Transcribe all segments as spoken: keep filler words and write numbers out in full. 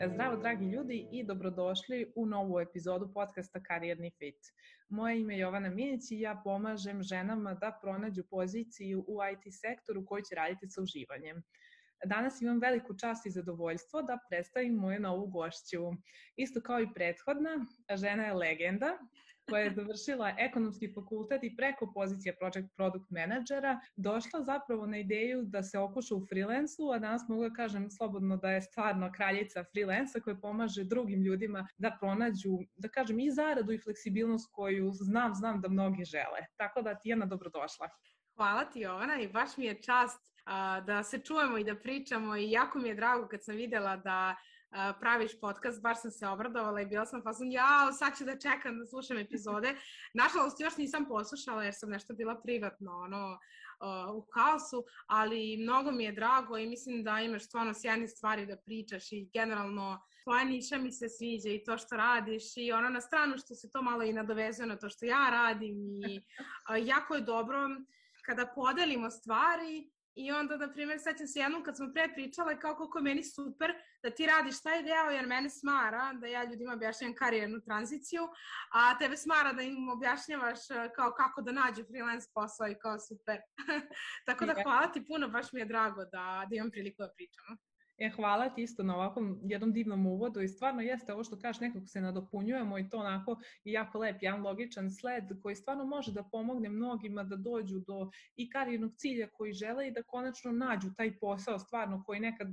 Zdravo dragi ljudi i dobrodošli u novu epizodu podcasta Karijerni fit. Moje ime je Jovana Minić i ja pomažem ženama da pronađu poziciju u I T sektoru koji će raditi sa uživanjem. Danas imam veliku čast i zadovoljstvo da predstavim moju novu gošću. Isto kao i prethodna, žena je legenda koja je završila ekonomski fakultet i preko pozicije Project Product Managera došla zapravo na ideju da se okuša u freelansu, a danas mogu da kažem slobodno da je stvarno kraljica freelansa koja pomaže drugim ljudima da pronađu, da kažem, i zaradu i fleksibilnost koju znam, znam da mnogi žele. Tako da, Tijana, dobrodošla. Hvala ti, Jovana, i baš mi je čast uh, da se čujemo i da pričamo i jako mi je drago kad sam videla da uh, praviš podcast, baš sam se obradovala i bila sam fazon, jao, sad ću da čekam da slušam epizode. Nažalost, još nisam poslušala jer sam nešto bila privatno ono, uh, u kaosu, ali mnogo mi je drago i mislim da imaš stvarno sjajne stvari da pričaš i generalno tvoja niša mi se sviđa i to što radiš i ono na stranu što se to malo i nadovezuje na to što ja radim i uh, jako je dobro kada podelimo stvari i onda, na primjer, sećam se jednom kad smo pre pričale kao koliko je meni super da ti radiš taj deo jer mene smara da ja ljudima objašnjam karijernu tranziciju, a tebe smara da im objašnjavaš kao kako da nađu freelance posao i kao super. Tako da hvala ti puno, baš mi je drago da, da imam priliku da pričamo. E, hvala ti isto na ovakvom jednom divnom uvodu i stvarno jeste ovo što kažeš, nekako se nadopunjujemo i to onako je jako lep, jedan logičan sled koji stvarno može da pomogne mnogima da dođu do i karijernog cilja koji žele i da konačno nađu taj posao stvarno koji nekad,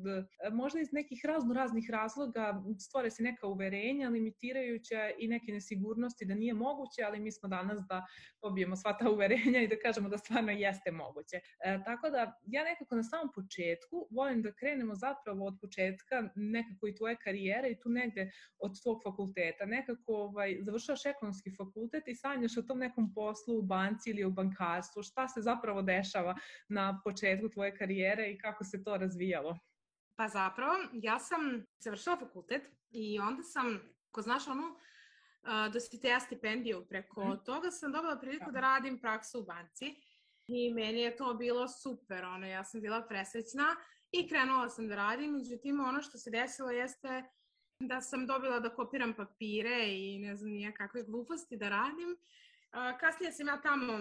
možda iz nekih razno raznih razloga stvore se neka uverenja limitirajuća i neke nesigurnosti da nije moguće, ali mi smo danas da pobijemo sva ta uverenja i da kažemo da stvarno jeste moguće. E, tako da ja nekako na samom početku volim da krenemo zapravo od početka nekako i tvoje karijere i tu negde od tvog fakulteta. Nekako ovaj, završavaš ekonomski fakultet i sanjaš o tom nekom poslu u banci ili u bankarstvu. Šta se zapravo dešava na početku tvoje karijere i kako se to razvijalo? Pa zapravo, ja sam završila fakultet i onda sam, ko znaš onu, dositeja stipendiju, preko mm. toga sam dobila priliku da radim praksu u banci i meni je to bilo super, ono, ja sam bila presrećna i krenula sam da radim, međutim ono što se desilo jeste da sam dobila da kopiram papire i ne znam nije kakve gluposti da radim. Kasnije sam ja tamo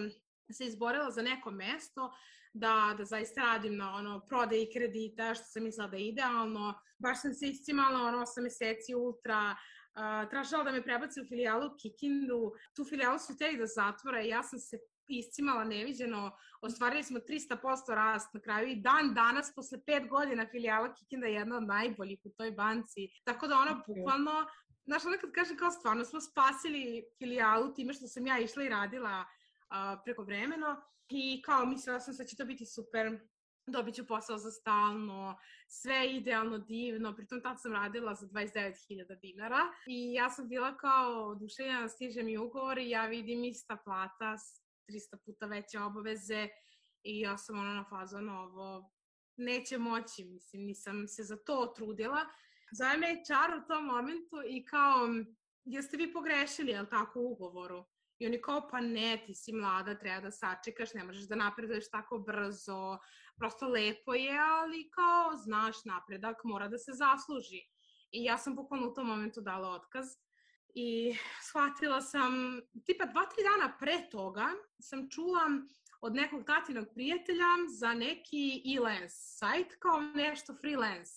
se izborila za neko mesto da, da zaista radim na ono, prodaji kredita, što sam mislila da je idealno. Baš sam se iscimala ono, osam meseci ultra, uh, tražila da me prebaci u filijalu u Kikindu. Tu filijalu su hteli da zatvore i ja sam se iscimala neviđeno, ostvarili smo trista posto rast na kraju i dan danas, posle pet godina, filijala Kikinda je jedna od najboljih u toj banci. Tako da ona bukvalno, znaš, ona kad kaže kao stvarno smo spasili filijalu time što sam ja išla i radila uh, preko vremeno i kao mislila sam da će to biti super, dobit ću posao za stalno, sve idealno, divno, pritom tad sam radila za dvadeset devet hiljada dinara i ja sam bila kao oduševljena, stiže mi ugovor i ja vidim ista plata, trista puta veće obaveze i ja sam ono na fazonu ovo neće moći, mislim, nisam se za to trudila. Zove me H R u tom momentu i kao, jeste vi pogrešili, jel tako, u ugovoru? I oni kao, pa ne, ti si mlada, treba da sačekaš, ne možeš da napreduješ tako brzo, prosto lepo je, ali kao, znaš, napredak mora da se zasluži. I ja sam bukvalno u tom momentu dala otkaz. I shvatila sam, tipa dva, tri dana pre toga sam čula od nekog tatinog prijatelja za neki e-lance sajt, kao nešto freelance.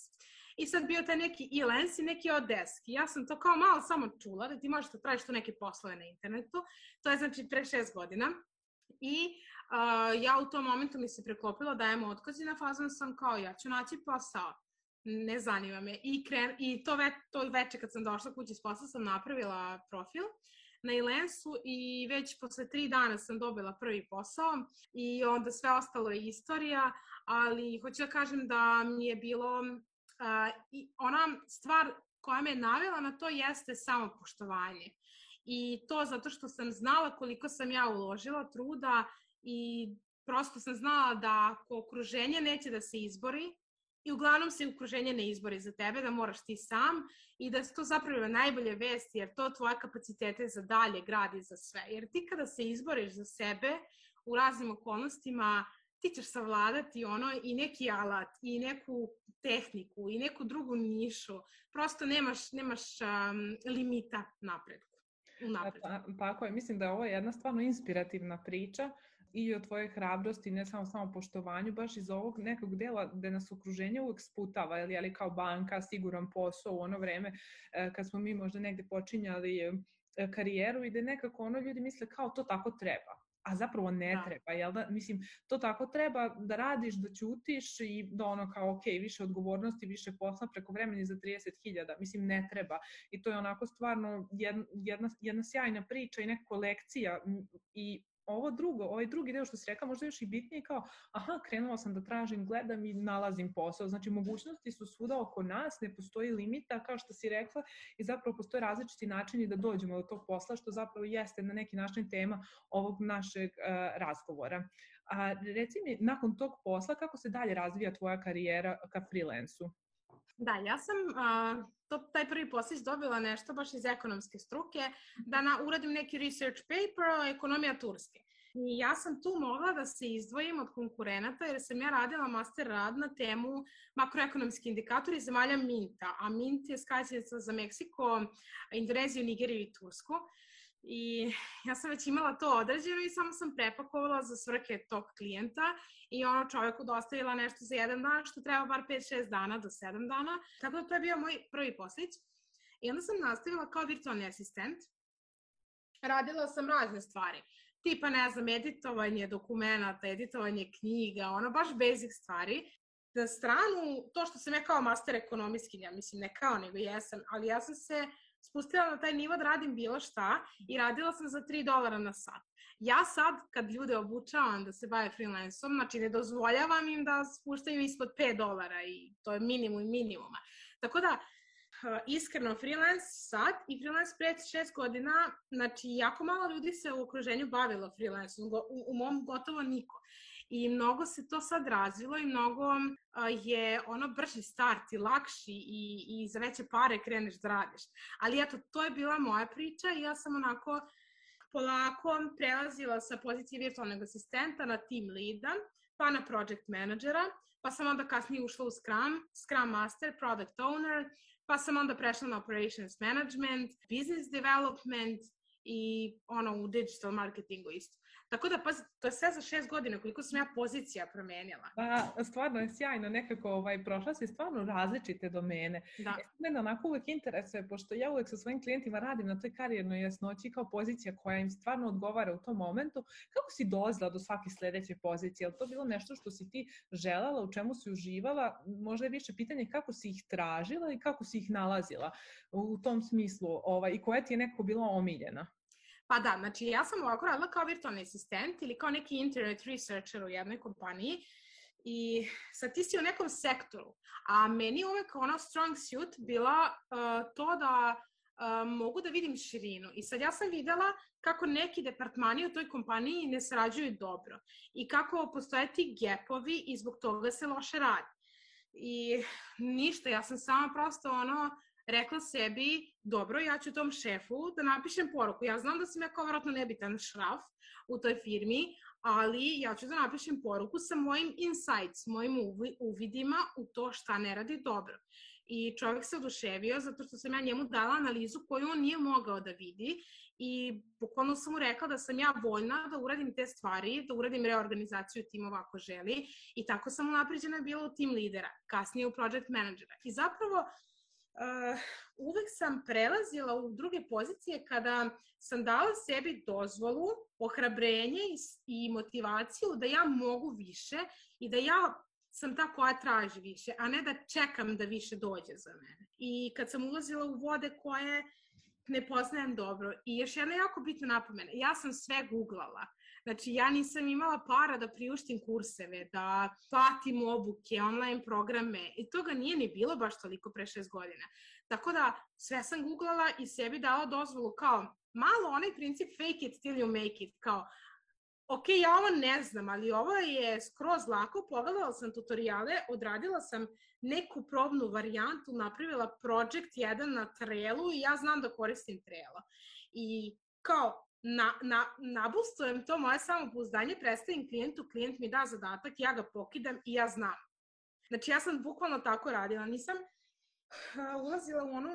I sad bio taj neki e-lance i neki Odesk. I ja sam to kao malo samo čula, da ti možeš da tražiš tu neke poslove na internetu. To je znači pre šest godina. I uh, ja u tom momentu mi se preklopilo da dajem otkaz i na fazon sam kao ja ću naći posao. Ne zanima me. I, kren, i to, ve, to veče kad sam došla kući s posla sam napravila profil na e-lance-u i već posle tri dana sam dobila prvi posao i onda sve ostalo je istorija, ali hoću da kažem da mi je bilo uh, i ona stvar koja me navela na to jeste samopoštovanje. I to zato što sam znala koliko sam ja uložila truda i prosto sam znala da ako okruženje neće da se izbori, i uglavnom se okruženje ne izbori za tebe, da moraš ti sam i da se to zapravo najbolje vesti, jer to tvoje kapacitete za dalje gradi za sve. Jer ti kada se izboriš za sebe u raznim okolnostima, ti ćeš savladati ono i neki alat, i neku tehniku, i neku drugu nišu. Prosto nemaš, nemaš um, limita napretku. Pa, tako je, mislim da je ovo jedna stvarno inspirativna priča i o tvojoj hrabrosti, ne samo samo poštovanju, baš iz ovog nekog dela gde nas okruženje uvek sputava, ali, ali kao banka, siguran posao u ono vreme kad smo mi možda negde počinjali karijeru i da nekako ono ljudi misle kao to tako treba. A zapravo ne da. treba, jel da? Mislim, to tako treba da radiš, da ćutiš i da ono kao, ok, više odgovornosti, više posla preko vremeni za trideset hiljada. Mislim, ne treba. I to je onako stvarno jedna, jedna, jedna sjajna priča i neka lekcija i ovo drugo, ovaj drugi deo što si rekao, možda još i bitnije kao, aha, krenula sam da tražim, gledam i nalazim posao. Znači, mogućnosti su svuda oko nas, ne postoji limita, kao što si rekla, i zapravo postoje različiti načini da dođemo do tog posla, što zapravo jeste na neki način tema ovog našeg uh, razgovora. A reci mi, nakon tog posla, kako se dalje razvija tvoja karijera ka freelansu? Da, ja sam uh, to, taj prvi poslić dobila nešto baš iz ekonomske struke, da na, uradim neki research paper o ekonomija Turske. I ja sam tu mogla da se izdvojim od konkurenata jer sam ja radila master rad na temu makroekonomski indikatori zemalja Minta, a Mint je skraćenica za Meksiko, Indoneziju, Nigeriju i Tursku. I ja sam već imala to određeno i samo sam prepakovala za svrhe tog klijenta i ono čovjeku dostavila nešto za jedan dan, što treba bar pet šest dana do sedam dana. Tako da to je bio moj prvi poslić. I onda sam nastavila kao virtualni asistent. Radila sam razne stvari. Tipa, ne znam, editovanje dokumenta, editovanje knjiga, ono baš basic stvari. Na stranu, to što sam ja kao master ekonomistkinja, mislim ne kao nego jesam, ali ja sam se spustila na taj nivo da radim bilo šta i radila sam za tri dolara na sat. Ja sad, kad ljude obučavam da se bave freelanceom, znači ne dozvoljavam im da spuštaju ispod pet dolara i to je minimum minimuma. Tako da, iskreno, freelance sad i freelance pred šest godina, znači jako malo ljudi se u okruženju bavilo freelanceom, u, u mom gotovo niko. I mnogo se to sad razvilo i mnogo uh, je ono brži start i lakši i, i za veće pare kreneš da radiš. Ali eto, to je bila moja priča i ja sam onako polako prelazila sa pozicije virtualnog asistenta na team leada, pa na project managera, pa sam onda kasnije ušla u Scrum, Scrum Master, Product Owner, pa sam onda prešla na Operations Management, Business Development i ono u digital marketingu isto. Tako da, pa, to je sve za šest godina, koliko sam ja pozicija promenjala. Pa, stvarno je sjajno, nekako ovaj, prošla si stvarno različite domene. Da. E, mene onako uvek interesuje, pošto ja uvek sa svojim klijentima radim na toj karijernoj jasnoći kao pozicija koja im stvarno odgovara u tom momentu. Kako si dolazila do svake sledeće pozicije? Je li to bilo nešto što si ti želela, u čemu si uživala? Možda je više pitanje kako si ih tražila i kako si ih nalazila u tom smislu ovaj, i koja ti je nekako bila omiljena? Pa da, znači ja sam ovako radila kao virtualni asistent ili kao neki internet researcher u jednoj kompaniji i sad ti si u nekom sektoru, a meni uvek ono strong suit bila uh, to da uh, mogu da vidim širinu. I sad ja sam videla kako neki departmani u toj kompaniji ne sarađuju dobro i kako postoje ti gapovi i zbog toga se loše radi. I ništa, ja sam sama prosto ono rekla sebi, dobro, ja ću tom šefu da napišem poruku. Ja znam da sam ja kao vjerojatno nebitan šraf u toj firmi, ali ja ću da napišem poruku sa mojim insights, mojim uvidima u to šta ne radi dobro. I čovjek se oduševio zato što sam ja njemu dala analizu koju on nije mogao da vidi i bukvalno sam mu rekla da sam ja voljna da uradim te stvari, da uradim reorganizaciju timova ako želi i tako sam unapređena bila u tim lidera, kasnije u project managera. I zapravo Uh, uvek sam prelazila u druge pozicije kada sam dala sebi dozvolu, ohrabrenje i, i motivaciju da ja mogu više i da ja sam ta koja traži više, a ne da čekam da više dođe za mene. I kad sam ulazila u vode koje ne poznajem dobro. I još jedna jako bitna napomena, ja sam sve googlala. Znači, ja nisam imala para da priuštim kurseve, da platim obuke, online programe i toga nije ni bilo baš toliko pre šest godina. Tako da, sve sam googlala i sebi dala dozvolu kao malo onaj princip fake it till you make it, kao ok, ja ovo ne znam, ali ovo je skroz lako, pogledala sam tutoriale, odradila sam neku probnu varijantu, napravila project jedan na Trellu i ja znam da koristim Trello. I kao, na, na, nabustujem to moje samopouzdanje, predstavim klijentu, klijent mi da zadatak, ja ga pokidam i ja znam. Znači, ja sam bukvalno tako radila. Nisam uh, ulazila u onu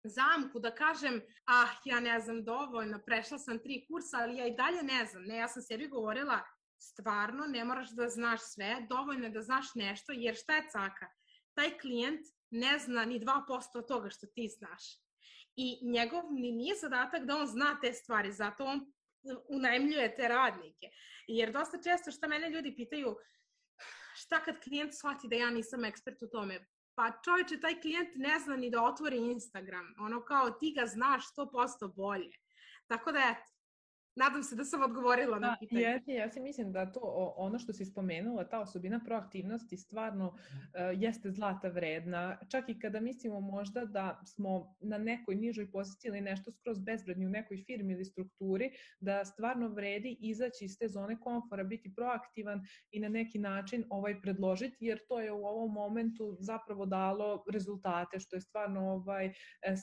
zamku da kažem, ah, ja ne znam dovoljno, prešla sam tri kursa, ali ja i dalje ne znam. Ne, ja sam sebi govorila, stvarno ne moraš da znaš sve, dovoljno je da znaš nešto, jer šta je caka? Taj klijent ne zna ni dva posto od toga što ti znaš. I njegov ni nije zadatak da on zna te stvari, zato on unajmljuje te radnike. Jer dosta često šta mene ljudi pitaju, šta kad klijent shvati da ja nisam ekspert u tome? Pa čovječe, taj klijent ne zna ni da otvori Instagram. Ono kao ti ga znaš sto posto bolje. Tako da eto, nadam se da sam odgovorila na pitanje. Jesi, ja si mislim da to ono što si spomenula, ta osobina proaktivnosti stvarno uh, jeste zlata vredna. Čak i kada mislimo možda da smo na nekoj nižoj poziciji ili nešto skroz bezvredni u nekoj firmi ili strukturi, da stvarno vredi izaći iz te zone komfora, biti proaktivan i na neki način ovaj predložiti, jer to je u ovom momentu zapravo dalo rezultate, što je stvarno ovaj,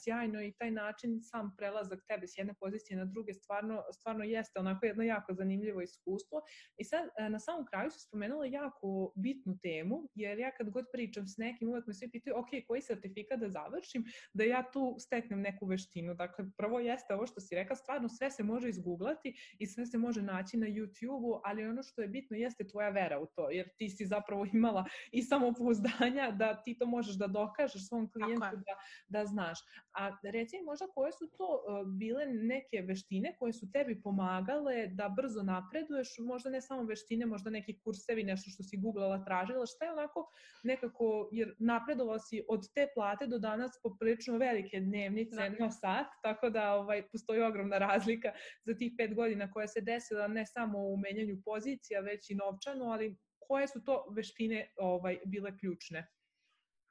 sjajno i taj način sam prelazak tebe s jedne pozicije na druge stvarno, stvarno jeste onako jedno jako zanimljivo iskustvo. I sad na samom kraju se spomenula jako bitnu temu, jer ja kad god pričam s nekim, uvek me svi pitaju, ok, koji sertifikat da završim, da ja tu steknem neku veštinu. Dakle, prvo jeste ovo što si rekla, stvarno sve se može izguglati i sve se može naći na YouTube-u, ali ono što je bitno jeste tvoja vera u to, jer ti si zapravo imala i samopouzdanja da ti to možeš da dokažeš svom klijentu da, da znaš. A reci možda koje su to bile neke veštine koje su tebi pomagale da brzo napreduješ, možda ne samo veštine, možda neki kursevi, nešto što si googlala, tražila, šta je onako nekako, jer napredovala si od te plate do danas poprilično velike dnevnice da. na sat, tako da ovaj, postoji ogromna razlika za tih pet godina koja se desila ne samo u menjanju pozicija, već i novčano, ali koje su to veštine ovaj, bile ključne?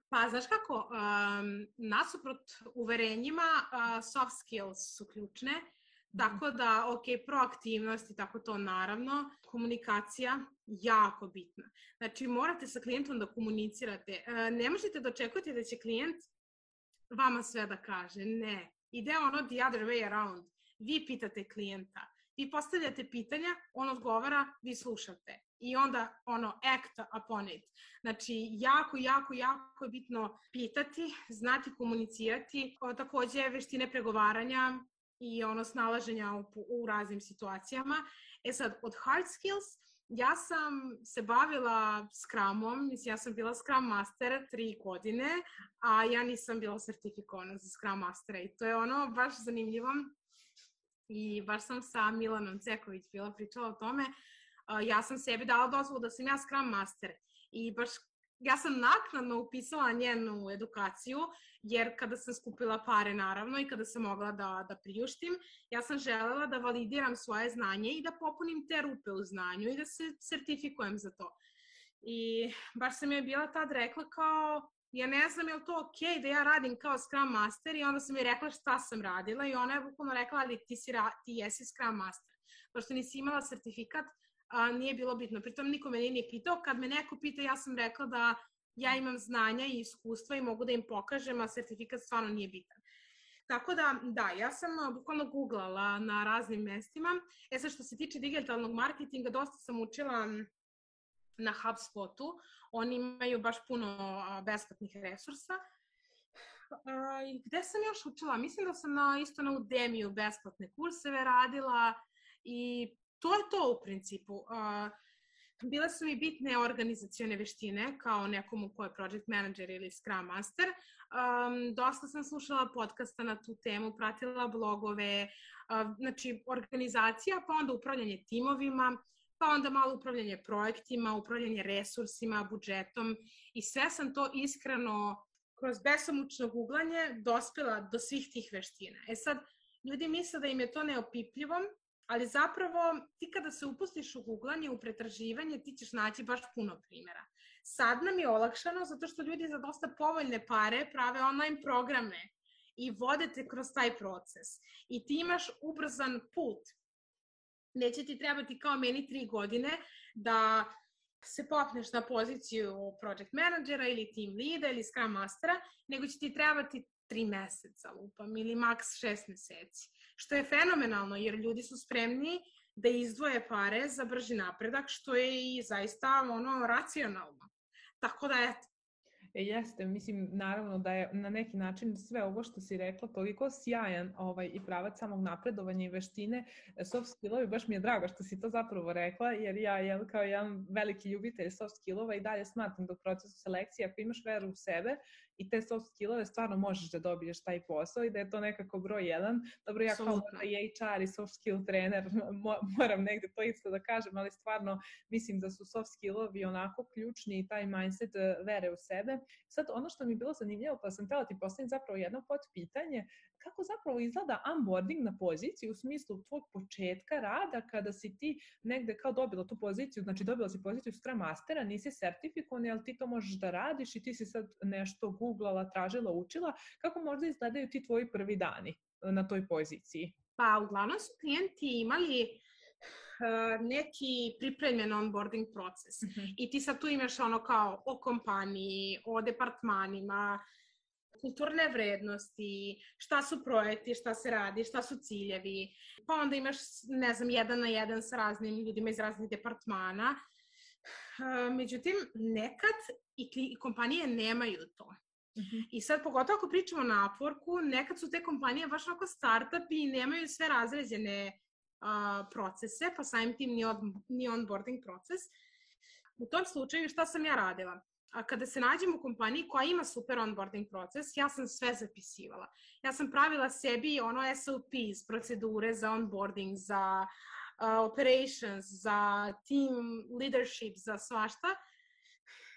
Pa, znaš kako, um, nasuprot uverenjima, uh, soft skills su ključne, tako da, ok, proaktivnost i tako to naravno, komunikacija jako bitna. Znači, morate sa klijentom da komunicirate. Uh, ne možete da očekujete da će klijent vama sve da kaže, ne. Ide ono the other way around. Vi pitate klijenta, vi postavljate pitanja, on odgovara, vi slušate. I onda, ono, act upon it. Znači, jako, jako, jako je bitno pitati, znati komunicirati, o, takođe veštine pregovaranja i ono snalaženja u, u raznim situacijama. E sad, od hard skills, ja sam se bavila Scrumom, mislim, ja sam bila Scrum Master tri godine, a ja nisam bila sertifikovana za Scrum Mastera i to je ono baš zanimljivo. I baš sam sa Milanom Ceković bila pričala o tome. Uh, ja sam sebi dala dozvolu da sam ja Scrum Master i baš ja sam naknadno upisala njenu edukaciju, jer kada sam skupila pare naravno i kada sam mogla da, da priuštim, ja sam želela da validiram svoje znanje i da popunim te rupe u znanju i da se sertifikujem za to. I baš sam je bila tad rekla kao, ja ne znam je li to ok da ja radim kao Scrum Master i onda sam je rekla šta sam radila i ona je bukvalno rekla, ali ti, si, ti jesi Scrum Master. Pošto nisi imala sertifikat, a, nije bilo bitno. Pritom niko me nije pitao. Kad me neko pita, ja sam rekla da ja imam znanja i iskustva i mogu da im pokažem, a sertifikat stvarno nije bitan. Tako da, da, ja sam bukvalno googlala na raznim mestima. E sad, što se tiče digitalnog marketinga, dosta sam učila na HubSpotu. Oni imaju baš puno besplatnih resursa. I gde sam još učila? Mislim da sam na, isto na Udemiju besplatne kurseve radila i to je to u principu. Bile su mi bitne organizacione veštine kao nekomu ko je project manager ili Scrum Master. Um, dosta sam slušala podcasta na tu temu, pratila blogove, uh, znači organizacija, pa onda upravljanje timovima, pa onda malo upravljanje projektima, upravljanje resursima, budžetom i sve sam to iskreno kroz besomučno googlanje dospela do svih tih veština. E sad, ljudi misle da im je to neopipljivo, ali zapravo ti kada se upustiš u googlanje, u pretraživanje, ti ćeš naći baš puno primjera. Sad nam je olakšano zato što ljudi za dosta povoljne pare prave online programe i vode te kroz taj proces. I ti imaš ubrzan put. Neće ti trebati kao meni tri godine da se popneš na poziciju project managera ili team leada ili scrum mastera, nego će ti trebati tri meseca lupam ili maks šest meseci. što je fenomenalno, jer ljudi su spremni da izdvoje pare za brži napredak, što je i zaista ono racionalno. Tako da, eto. E, jeste, mislim, naravno da je na neki način sve ovo što si rekla toliko sjajan ovaj, i pravac samog napredovanja i veštine, soft skillovi, baš mi je drago što si to zapravo rekla, jer ja jel, kao jedan veliki ljubitelj soft skillova i dalje smatram da u procesu selekcije, ako imaš veru u sebe i te soft skillove, stvarno možeš da dobiješ taj posao i da je to nekako broj jedan. Dobro, ja kao i H R i soft skill trener moram negde to isto da kažem, ali stvarno mislim da su soft skillovi onako ključni i taj mindset vere u sebe. Sad, ono što mi je bilo zanimljivo, pa sam htjela ti postaviti zapravo jedno potpitanje, kako zapravo izgleda onboarding na poziciji u smislu tvog početka rada kada si ti negde kao dobila tu poziciju, znači dobila si poziciju Scrum Mastera, nisi sertifikovan, ali ti to možeš da radiš i ti si sad nešto googlala, tražila, učila, kako možda izgledaju ti tvoji prvi dani na toj poziciji? Pa, uglavnom su klijenti imali uh, neki pripremljen onboarding proces. Mm-hmm. I ti sad tu imaš ono kao o kompaniji, o departmanima, kulturne vrednosti, šta su projekti, šta se radi, šta su ciljevi. Pa onda imaš, ne znam, jedan na jedan sa raznim ljudima iz raznih departmana. Uh, međutim, nekad i, i kompanije nemaju to. Mm-hmm. I sad, pogotovo ako pričamo na Upworku, nekad su te kompanije baš onako startupi i nemaju sve razređene uh, procese, pa samim tim ni, on, ni onboarding proces. U tom slučaju šta sam ja radila? A kada se nađem u kompaniji koja ima super onboarding proces, ja sam sve zapisivala. Ja sam pravila sebi ono S O Ps, procedure za onboarding, za uh, operations, za team leadership, za svašta.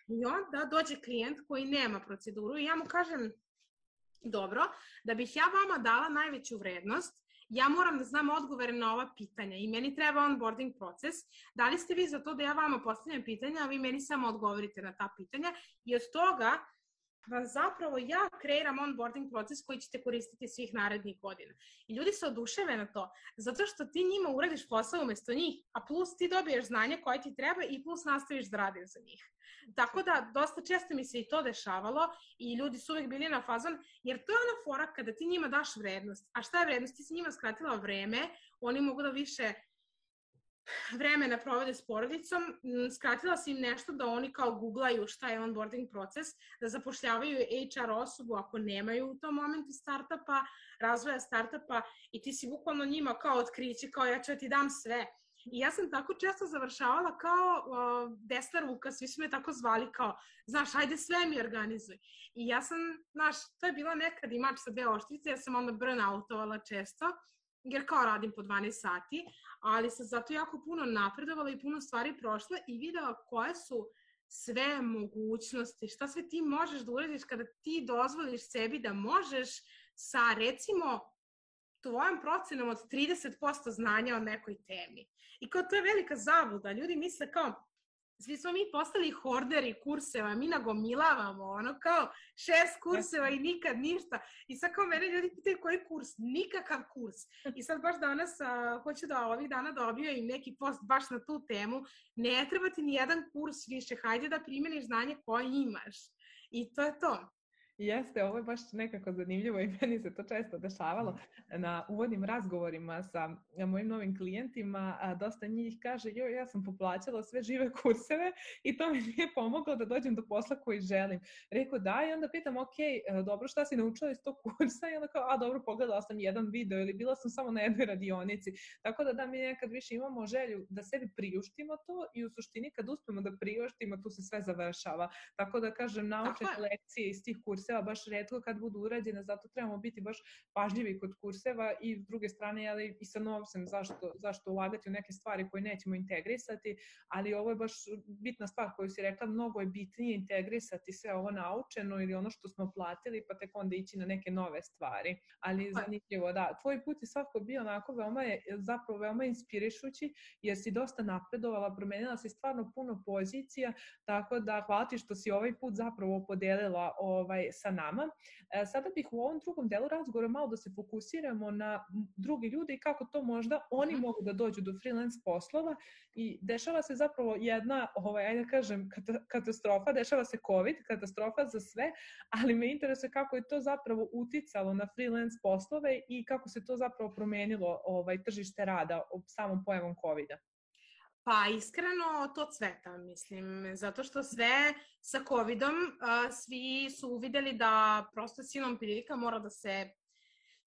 I onda dođe klijent koji nema proceduru i ja mu kažem, dobro, da bih ja vama dala najveću vrednost, ja moram da znam odgovore na ova pitanja i meni treba onboarding proces. Da li ste vi za to da ja vama postavljam pitanja, a vi meni samo odgovorite na ta pitanja i od toga vam zapravo ja kreiram onboarding proces koji ćete koristiti svih narednih godina. I ljudi se oduševe na to, zato što ti njima uradiš posao umesto njih, a plus ti dobiješ znanje koje ti treba i plus nastaviš da radiš za njih. Tako da, dosta često mi se i to dešavalo i ljudi su uvek bili na fazon, jer to je ona fora kada ti njima daš vrednost. A šta je vrednost? Ti si njima skratila vreme, oni mogu da više vremena provede s porodicom, skratila si im nešto da oni kao googlaju šta je onboarding proces, da zapošljavaju H R osobu ako nemaju u tom momentu startupa, razvoja startupa i ti si bukvalno njima kao otkriće, kao ja ću ti dam sve. I ja sam tako često završavala kao uh, desna ruka, svi su me tako zvali kao, znaš, ajde sve mi organizuj. I ja sam, znaš, to je bila nekad i mač sa dve oštrice, ja sam onda burnoutovala često, jer kao radim po dvanaest sati, ali sam zato jako puno napredovala i puno stvari prošla i videla koje su sve mogućnosti, šta sve ti možeš da uradiš kada ti dozvoliš sebi da možeš sa, recimo, tvojom procenom od trideset posto znanja o nekoj temi. I kao to je velika zabluda. Ljudi misle kao, svi smo mi postali horderi kurseva, mi nagomilavamo, ono kao šest kurseva i nikad ništa. I sad kao mene ljudi pitaju koji kurs? Nikakav kurs. I sad baš danas a, hoću da ovih dana dobio im neki post baš na tu temu. Ne treba ti ni jedan kurs više, hajde da primjeniš znanje koje imaš. I to je to. Jeste, ovo je baš nekako zanimljivo i meni se to često dešavalo na uvodnim razgovorima sa mojim novim klijentima, a dosta njih kaže, joj, ja sam poplaćala sve žive kurseve i to mi nije pomoglo da dođem do posla koji želim. Rekao da i onda pitam, ok, dobro, šta si naučila iz tog kursa? I onda kao, a dobro, pogledala sam jedan video ili bila sam samo na jednoj radionici. Tako da da mi nekad više imamo želju da sebi priuštimo to i u suštini kad uspemo da priuštimo, tu se sve završava. Tako da kažem, naučene lekcije iz tih kursa baš retko kad budu urađene, zato trebamo biti baš pažljivi kod kurseva i s druge strane ali i sa novcem zašto, zašto ulagati u neke stvari koje nećemo integrisati, ali ovo je baš bitna stvar koju si rekla, mnogo je bitnije integrisati sve ovo naučeno ili ono što smo platili pa tek onda ići na neke nove stvari, ali zanimljivo, da, tvoj put je svako bio onako veoma je, zapravo veoma inspirišući jer si dosta napredovala, promenila si stvarno puno pozicija, tako da hvala ti što si ovaj put zapravo podelila ovaj, ovaj, sa nama. E, sada bih u ovom drugom delu razgovora malo da se fokusiramo na drugi ljudi i kako to možda oni Mhm. mogu da dođu do freelance poslova i dešava se zapravo jedna, ovaj, ajde da kažem, kata- katastrofa, dešava se COVID, katastrofa za sve, ali me interesuje kako je to zapravo uticalo na freelance poslove i kako se to zapravo promenilo ovaj, tržište rada samom pojavom COVID-a. Pa iskreno to cveta, mislim, zato što sve sa covidom uh, svi su uvideli da prosto silom prilika mora da se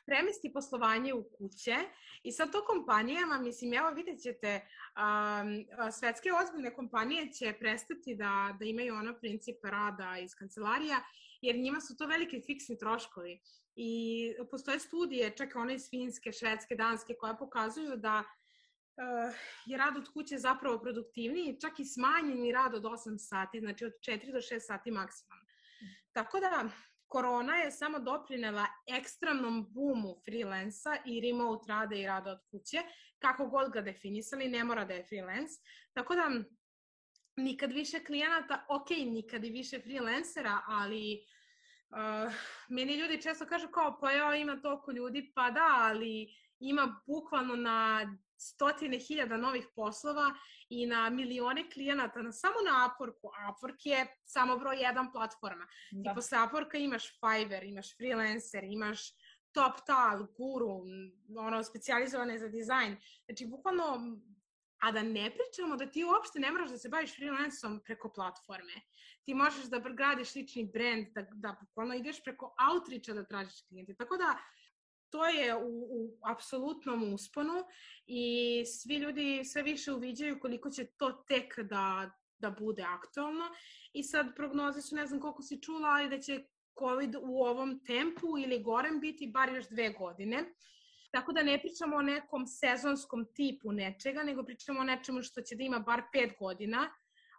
premesti poslovanje u kuće i sad to kompanijama, mislim, evo vidjet ćete, um, svetske ozbiljne kompanije će prestati da, da imaju ono princip rada iz kancelarija, jer njima su to velike fiksni troškovi. I postoje studije, čak one iz Finske, Švedske, Danske, koje pokazuju da Uh, je rad od kuće zapravo produktivniji, čak i smanjeni rad od osam sati, znači od četiri do šest sati maksimalno. Tako da, korona je samo doprinela ekstremnom boomu freelansa i remote rada i rada od kuće, kako god ga definisali, ne mora da je freelance. Tako da, nikad više klijenata, ok, nikad i više freelancera, ali uh, meni ljudi često kažu kao, pa ja ima toliko ljudi, pa da, ali ima bukvalno na stotine hiljada novih poslova i na milione klijenata, na, samo na Upworku. Upwork je samo broj jedan platforma. Da. Ti posle Upworka imaš Fiverr, imaš freelancer, imaš TopTal, Guru, ono, specijalizovane za dizajn. Znači, bukvalno, a da ne pričamo da ti uopšte ne moraš da se baviš freelanceom preko platforme. Ti možeš da gradiš lični brand, da, da bukvalno ideš preko outreacha da tražiš klijente. Tako da, to je u, u apsolutnom usponu i svi ljudi sve više uviđaju koliko će to tek da, da bude aktualno. I sad prognoze su, ne znam koliko si čula, ali da će COVID u ovom tempu ili gorem biti bar još dve godine. Tako da ne pričamo o nekom sezonskom tipu nečega, nego pričamo o nečemu što će da ima bar pet godina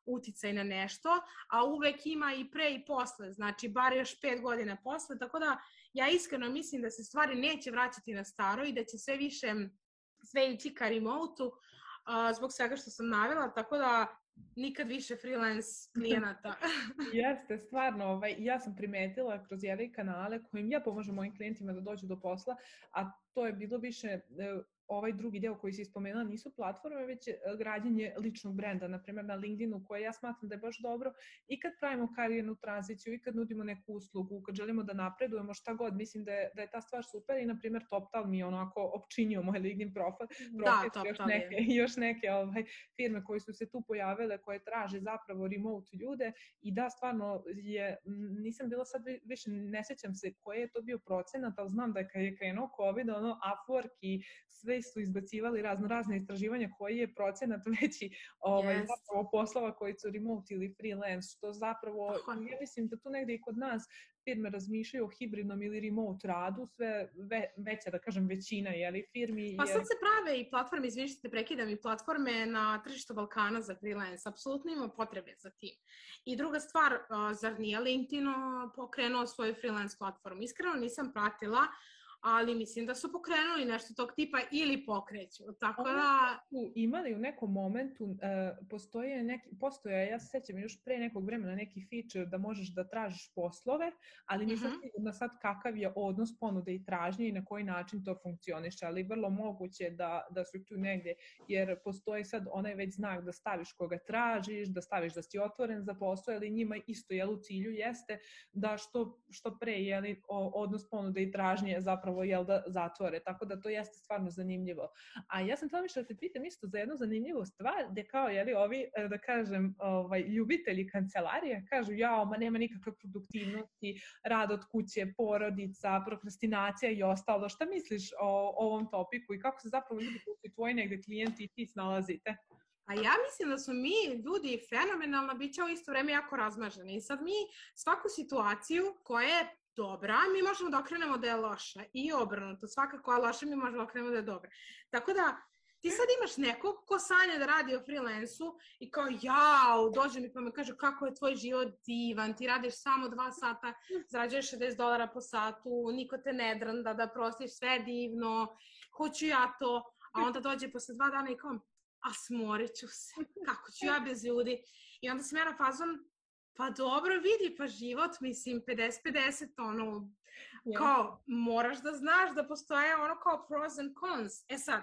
uticaj na nešto, a uvek ima i pre i posle, znači bar još pet godina posle, tako da ja iskreno mislim da se stvari neće vraćati na staro i da će sve više sve ići ka remote-u uh, zbog svega što sam navela, tako da nikad više freelance klijenata. Jeste, stvarno, ovaj, ja sam primetila kroz jedne kanale kojim ja pomažem mojim klijentima da dođu do posla, a to je bilo više ovaj drugi deo koji si ispomenula nisu platforme, već građenje ličnog brenda, na primjer na LinkedInu, koje ja smatram da je baš dobro i kad pravimo karijernu tranziciju i kad nudimo neku uslugu, kad želimo da napredujemo, šta god, mislim da je, da je ta stvar super i na primjer TopTal mi je onako opčinio moj LinkedIn profil, da, profil još neke, još neke ovaj, firme koje su se tu pojavile, koje traže zapravo remote ljude i da, stvarno je, nisam bila sad više, ne sećam se koji je to bio procenat, ali znam da je kad je krenuo COVID, ono Upwork i sve su izbacivali razno razne istraživanja koji je procenat veći ovaj, yes. zapravo poslova koji su remote ili freelance, što zapravo, oh. ja mislim da tu negde i kod nas firme razmišljaju o hibridnom ili remote radu, sve ve, veća, da kažem, većina jeli, firmi. Pa sad se prave i platforme, izvinite, prekidam, i platforme na tržištu Balkana za freelance, apsolutno ima potrebe za tim. I druga stvar, zar nije LinkedIn pokrenuo svoju freelance platformu? Iskreno nisam pratila, ali mislim da su pokrenuli nešto tog tipa ili pokreću. Tako da... Su imali u nekom momentu, uh, postoje neki, postoje, ja se sećam još pre nekog vremena neki feature da možeš da tražiš poslove, ali nisam uh-huh. sigurna sad kakav je odnos ponude i tražnje i na koji način to funkcioniše, ali vrlo moguće da, da su tu negdje, jer postoji sad onaj već znak da staviš koga tražiš, da staviš da si otvoren za posao, ali njima isto jel, u cilju jeste da što, što pre jeli, odnos ponude i tražnje zapravo jel da zatvore, tako da to jeste stvarno zanimljivo. A ja sam tamo više da te pitam isto za jednu zanimljivu stvar, gde kao jeli ovi, da kažem, ovaj, ljubitelji kancelarije kažu jao, ma nema nikakve produktivnosti, rad od kuće, porodica, prokrastinacija i ostalo. Šta misliš o ovom topiku i kako se zapravo ljudi koji su tvoji negde klijenti i ti snalazite? A ja mislim da smo mi ljudi fenomenalno, bit će u isto vreme jako razmaženi. I sad mi svaku situaciju koja je dobra, mi možemo da okrenemo da je loša i obrnuto, svaka koja je loša mi možemo da okrenemo da je dobra. Tako da ti sad imaš nekog ko sanja da radi o freelansu i kao jao, dođe mi pa me kaže kako je tvoj život divan, ti radiš samo dva sata, zarađuješ šezdeset dolara po satu, niko te ne drnda, da prostiš, sve divno, hoću ja to, a onda dođe posle dva dana i kao, a smorit ću se, kako ću ja bez ljudi. I onda sam ja na fazom, Pa dobro, vidi, pa život, mislim, pedeset pedeset, ono, Yeah. kao, moraš da znaš da postoje ono kao pros and cons. E sad,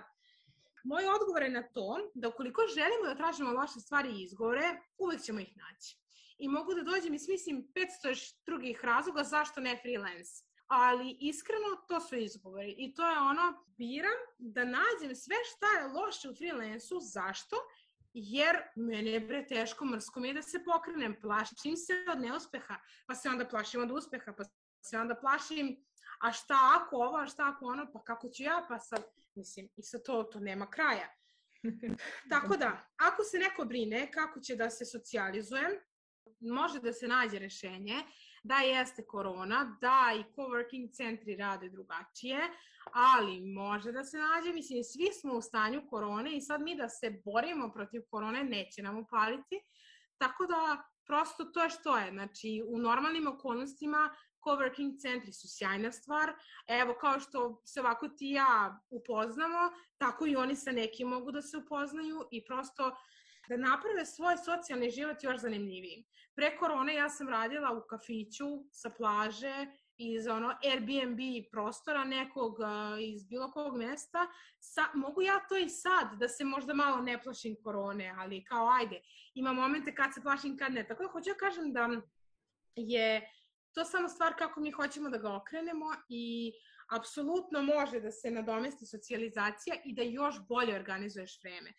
moj odgovor je na to da ukoliko želimo da tražimo loše stvari i izgovore, uvek ćemo ih naći. I mogu da dođem i smislim petsto još drugih razloga zašto ne freelance. Ali iskreno to su izgovori i to je ono, biram da nađem sve šta je loše u freelansu, zašto? Jer mene je bre teško, mrsko mi je da se pokrenem, plašim se od neuspeha, pa se onda plašim od uspeha, pa se onda plašim, a šta ako ovo, a šta ako ono, pa kako ću ja, pa sad, mislim, i sad to, to nema kraja. Tako da, ako se neko brine kako će da se socijalizujem, može da se nađe rešenje, da jeste korona, da i coworking centri rade drugačije, ali može da se nađe, mislim, svi smo u stanju korone i sad mi da se borimo protiv korone neće nam upaliti, tako da prosto to je što je, znači u normalnim okolnostima coworking centri su sjajna stvar, evo kao što se ovako ti i ja upoznamo, tako i oni sa nekim mogu da se upoznaju i prosto da naprave svoj socijalni život još zanimljivijim. Pre korone ja sam radila u kafiću sa plaže iz ono Airbnb prostora nekog uh, iz bilo kog mesta. Sa, mogu ja to i sad, da se možda malo ne plašim korone, ali kao ajde, ima momente kad se plašim, kad ne. Tako da hoću ja kažem da je to samo stvar kako mi hoćemo da ga okrenemo i apsolutno može da se nadomesti socijalizacija i da još bolje organizuješ vreme.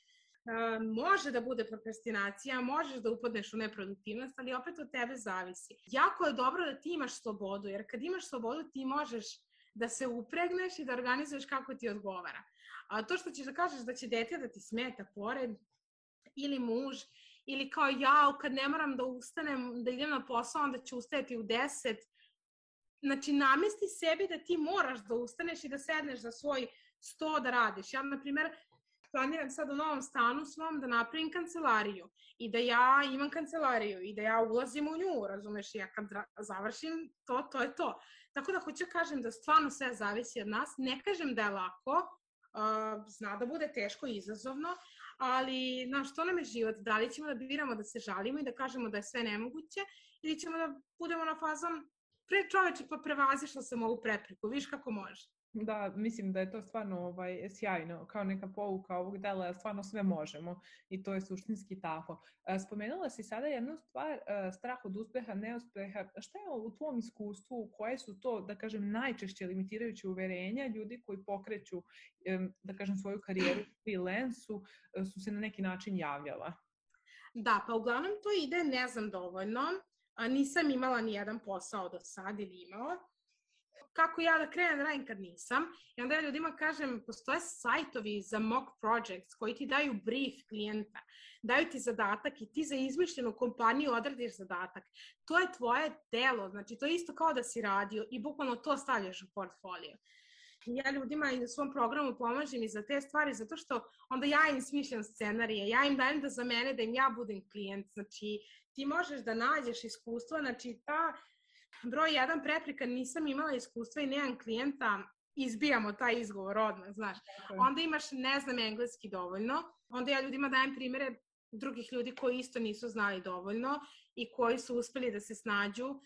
Uh, može da bude prokrastinacija, možeš da upadneš u neproduktivnost, ali opet od tebe zavisi. Jako je dobro da ti imaš slobodu, jer kad imaš slobodu ti možeš da se upregneš i da organizuješ kako ti odgovara. A to što ćeš da kažeš da će dete da ti smeta pored, ili muž, ili kao ja, kad ne moram da ustanem, da idem na posao, onda ću ustajati u deset. Znači, namesti sebi da ti moraš da ustaneš i da sedneš za svoj sto da radiš. Ja, na primjer, planiram sad u novom stanu svom da napravim kancelariju i da ja imam kancelariju i da ja ulazim u nju, razumeš, i ja kad završim to, to je to. Tako da hoću kažem da stvarno sve zavisi od nas, ne kažem da je lako, uh, zna da bude teško i izazovno, ali na što nam je život, da li ćemo da biramo da se žalimo i da kažemo da je sve nemoguće ili ćemo da budemo na fazom pre čoveče pa prevazišla sam ovu prepreku, viš kako može. Da, mislim da je to stvarno ovaj, sjajno, kao neka pouka ovog dela, stvarno sve možemo i to je suštinski tako. Spomenula si sada jednu stvar, strah od uspeha, neuspeha. Šta je u tvom iskustvu, koje su to, da kažem, najčešće limitirajuće uverenja ljudi koji pokreću, da kažem, svoju karijeru u freelansu, su se na neki način javljala? Da, pa uglavnom to ide ne znam dovoljno, nisam imala ni jedan posao do sad ili imala. Kako ja da krenem da radim kad nisam. I onda ja ljudima kažem, postoje sajtovi za mock projects koji ti daju brief klijenta, daju ti zadatak i ti za izmišljenu kompaniju odradiš zadatak. To je tvoje delo, znači to je isto kao da si radio i bukvalno to stavljaš u portfolio. Ja ljudima i na svom programu pomažem i za te stvari, zato što onda ja im smišljam scenarije, ja im dajem da za mene, da im ja budem klijent. Znači ti možeš da nađeš iskustvo, znači ta broj jedan prepreka, nisam imala iskustva i nemam klijenta, izbijamo taj izgovor odmah, znaš. Onda imaš ne znam engleski dovoljno, onda ja ljudima dajem primere drugih ljudi koji isto nisu znali dovoljno i koji su uspeli da se snađu.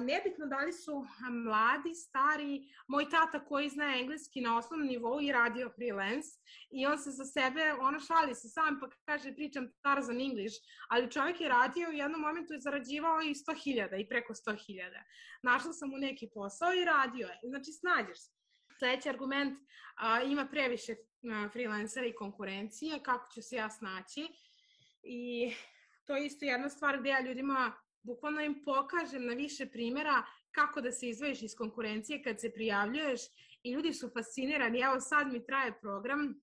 Nebitno da li su mladi, stari, moj tata koji zna engleski na osnovnom nivou i radio freelance i on se za sebe, ono šali se sam pa kaže pričam Tarzan English, ali čovjek je radio i u jednom momentu je zarađivao i sto hiljada i preko sto hiljada. Našla sam mu neki posao i radio je, znači snađeš se. Sljedeći argument, a, ima previše a, freelancera i konkurencije, kako ću se ja snaći i to je isto jedna stvar gde ja ljudima bukvalno im pokažem na više primjera kako da se izdvojiš iz konkurencije kad se prijavljuješ i ljudi su fascinirani. Evo sad mi traje program,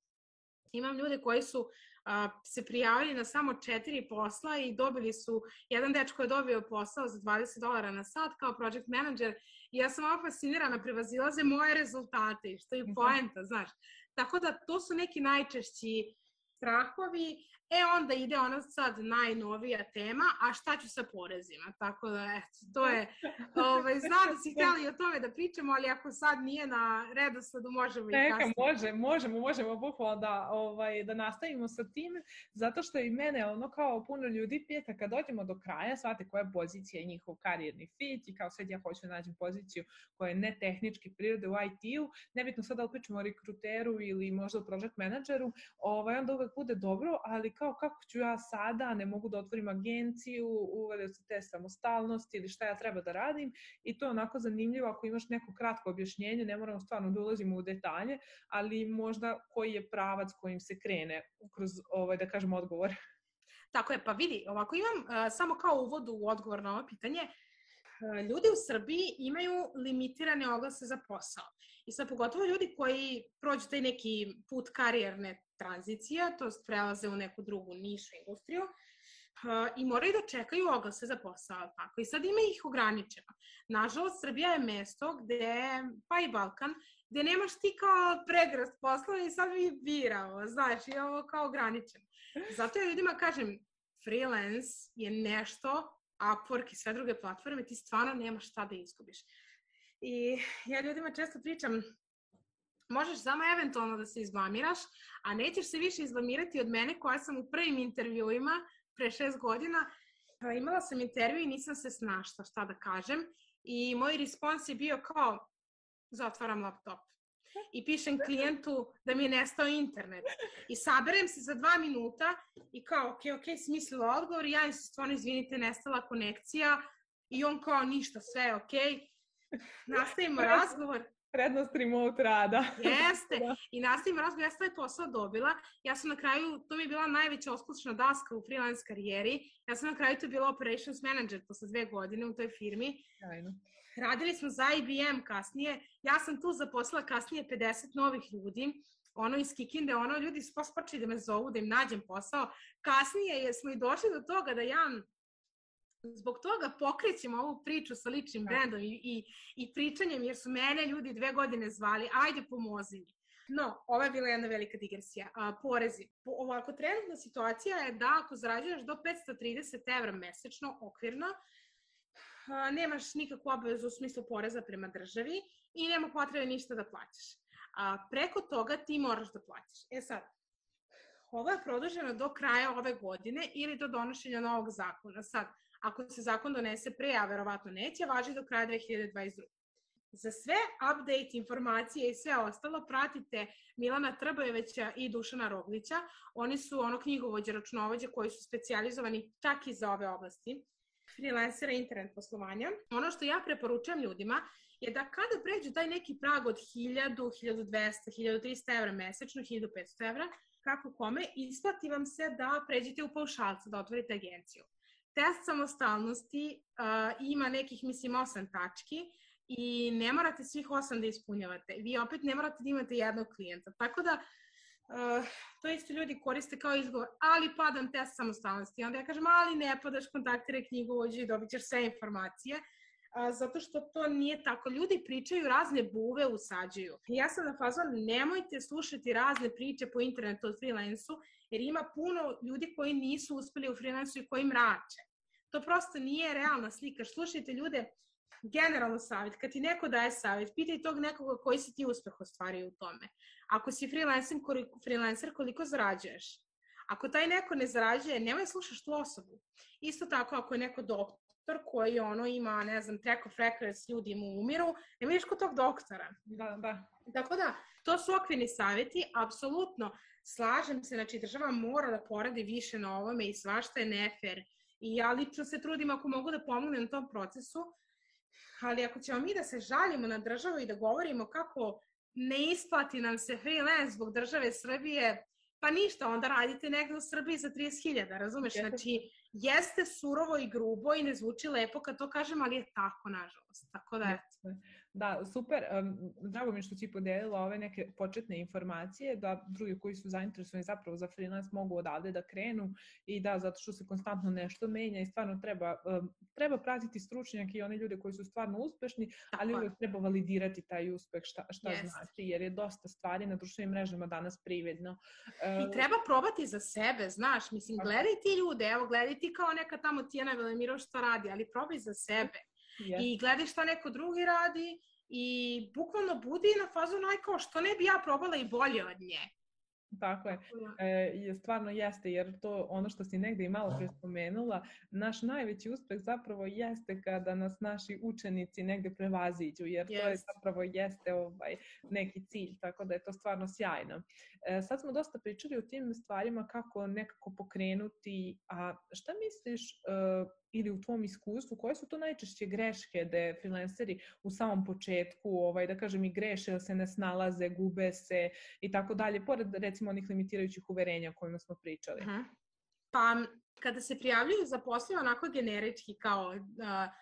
imam ljude koji su a, se prijavili na samo četiri posla i dobili su, jedan dečko je dobio posao za dvadeset dolara na sat kao project manager i ja sam ovo fascinirana, prevazilaze moje rezultate, što je poenta, znaš. Tako da to su neki najčešći strahovi. E onda ide ona sad najnovija tema, a šta ću sa porezima, tako da eto, to je, ovaj, znam da si htjeli o tome da pričamo, ali ako sad nije na redosledu, možemo i kasnije. Neka, može, možemo, možemo bukvalno da, ovaj, da nastavimo sa tim, zato što i mene ono kao puno ljudi pita kad dođemo do kraja, shvate koja je pozicija i njihov karijerni fit i kao sad ja hoću da nađem poziciju koja je ne tehnički prirode u I T-u, nebitno sad da li pričamo o rekruteru ili možda o project menadžeru, ovaj, onda uvek bude dobro, ali kao kako ću ja sada, ne mogu da otvorim agenciju, uvede se te samostalnosti ili šta ja treba da radim i to je onako zanimljivo ako imaš neko kratko objašnjenje, ne moramo stvarno da ulazimo u detalje, ali možda koji je pravac kojim se krene kroz, ovaj, da kažem, odgovor. Tako je, pa vidi, ovako imam uh, samo kao uvod u odgovor na ovo pitanje. Uh, ljudi u Srbiji imaju limitirane oglase za posao. I sad pogotovo ljudi koji prođu taj neki put karijerne tranzicije, to jest prelaze u neku drugu nišu industriju, uh, i moraju da čekaju oglase za posao. Tako. I sad ima ih ograničeno. Nažalost, Srbija je mesto gde, pa i Balkan, gde nemaš ti kao pregrast poslova i sad mi birao, znaš, i ovo kao ograničeno. Zato ja ljudima kažem, freelance je nešto, Upwork i sve druge platforme, ti stvarno nemaš šta da izgubiš. I ja ljudima često pričam, možeš samo eventualno da se izblamiraš, a nećeš se više izblamirati od mene koja sam u prvim intervjuima pre šest godina. Imala sam intervju i nisam se snašla šta da kažem i moj respons je bio kao zatvaram laptop i pišem klijentu da mi je nestao internet i saberem se za dva minuta i kao ok, ok, smislila odgovor i ja im se stvarno izvinite, nestala konekcija i on kao ništa, sve je ok, nastavimo razgovor. Prednost remote rada. Jeste, i nastavimo razgovor, ja sam taj posao dobila, ja sam na kraju, to mi je bila najveća oskušna daska u freelance karijeri, ja sam na kraju to bila operations manager posle dve godine u toj firmi. Ajno. Radili smo za I B M kasnije, ja sam tu zaposlila kasnije pedeset novih ljudi, ono iz Kikinde, ono ljudi su pospačili da me zovu, da im nađem posao. Kasnije smo i došli do toga da ja zbog toga pokrećem ovu priču sa ličnim brendom i, i, i pričanjem, jer su mene ljudi dve godine zvali, ajde pomozi mi. No, ova je bila jedna velika digresija. A, porezi. Po, ovako, trenutna situacija je da ako zarađuješ do petsto trideset evra mesečno, okvirno, a, nemaš nikakvu obavezu u smislu poreza prema državi i nema potrebe ništa da plaćaš. A preko toga ti moraš da plaćaš. E sad, ovo je produženo do kraja ove godine ili do donošenja novog zakona. Sad, ako se zakon donese pre, a verovatno neće, važi do kraja dve hiljade dvadeset druge. Za sve update, informacije i sve ostalo pratite Milana Trbojevića i Dušana Roglića. Oni su ono knjigovođe, računovođe koji su specijalizovani čak i za ove oblasti freelancera i internet poslovanja. Ono što ja preporučujem ljudima je da kada pređu taj neki prag od hiljadu, hiljadu dvesta, hiljadu trista evra mesečno, hiljadu petsto evra, kako kome, isplati vam se da pređete u paušalca, da otvorite agenciju. Test samostalnosti uh, ima nekih, mislim, osam tački i ne morate svih osam da ispunjavate. Vi opet ne morate da imate jednog klijenta. Tako da, uh, to isto ljudi koriste kao izgovor, ali padam test samostalnosti. Onda ja kažem, ali ne padaš, kontaktiraj knjigovođu i dobit ćeš sve informacije. Uh, zato što to nije tako. Ljudi pričaju, razne buve usađuju. Ja sam na fazon, nemojte slušati razne priče po internetu od freelansu, jer ima puno ljudi koji nisu uspeli u freelansu i koji mrače. To prosto nije realna slika. Slušajte ljude, generalno savjet, kad ti neko daje savjet, pitaj tog nekoga koji si ti uspeh ostvario u tome. Ako si freelancer, koliko, freelancer, koliko zarađuješ? Ako taj neko ne zarađuje, nemoj slušaš tu osobu. Isto tako, ako je neko doktor koji ono ima, ne znam, track of records, ljudi mu umiru, nemoj vidiš kod tog doktora. Da, da. Tako da, to su okvirni savjeti, apsolutno slažem se, znači država mora da poradi više na ovome i svašta je nefer. I ja lično se trudim ako mogu da pomognem na tom procesu, ali ako ćemo mi da se žalimo na državu i da govorimo kako ne isplati nam se freelance zbog države Srbije, pa ništa, onda radite negde u Srbiji za trideset hiljada, razumeš? Znači, jeste surovo i grubo i ne zvuči lepo kad to kažem, ali je tako, nažalost. Tako da, eto. Da, super. Um, drago mi što si podelila ove neke početne informacije, da drugi koji su zainteresovani zapravo za freelance mogu odavde da krenu i da, zato što se konstantno nešto menja i stvarno treba, um, treba pratiti stručnjake i one ljude koji su stvarno uspešni, tako, ali uvek treba validirati taj uspeh, šta, šta yes. znači, jer je dosta stvari na društvenim mrežama danas prividno. Uh, I treba probati za sebe, znaš, mislim, okay. gledaj ti ljude, evo, gledaj ti kao neka tamo Tijana Velemiro što radi, ali probaj za sebe. Yes. I gledaj šta neko drugi radi i bukvalno budi na fazonu aj kao što ne bi ja probala i bolje od nje. Tako je. E, stvarno jeste, jer to ono što si negde i malo pre spomenula, naš najveći uspeh zapravo jeste kada nas naši učenici negde prevaziđu, jer yes. to je zapravo jeste ovaj, neki cilj, tako da je to stvarno sjajno. E, sad smo dosta pričali o tim stvarima kako nekako pokrenuti, a šta misliš e, ili u tvom iskustvu, koje su to najčešće greške da freelanceri u samom početku, ovaj, da kažem i greše, da se ne snalaze, gube se i tako dalje, pored recimo onih limitirajućih uverenja o kojima smo pričali? Uh-huh. Pa kada se prijavljuju za posao onako generički kao uh,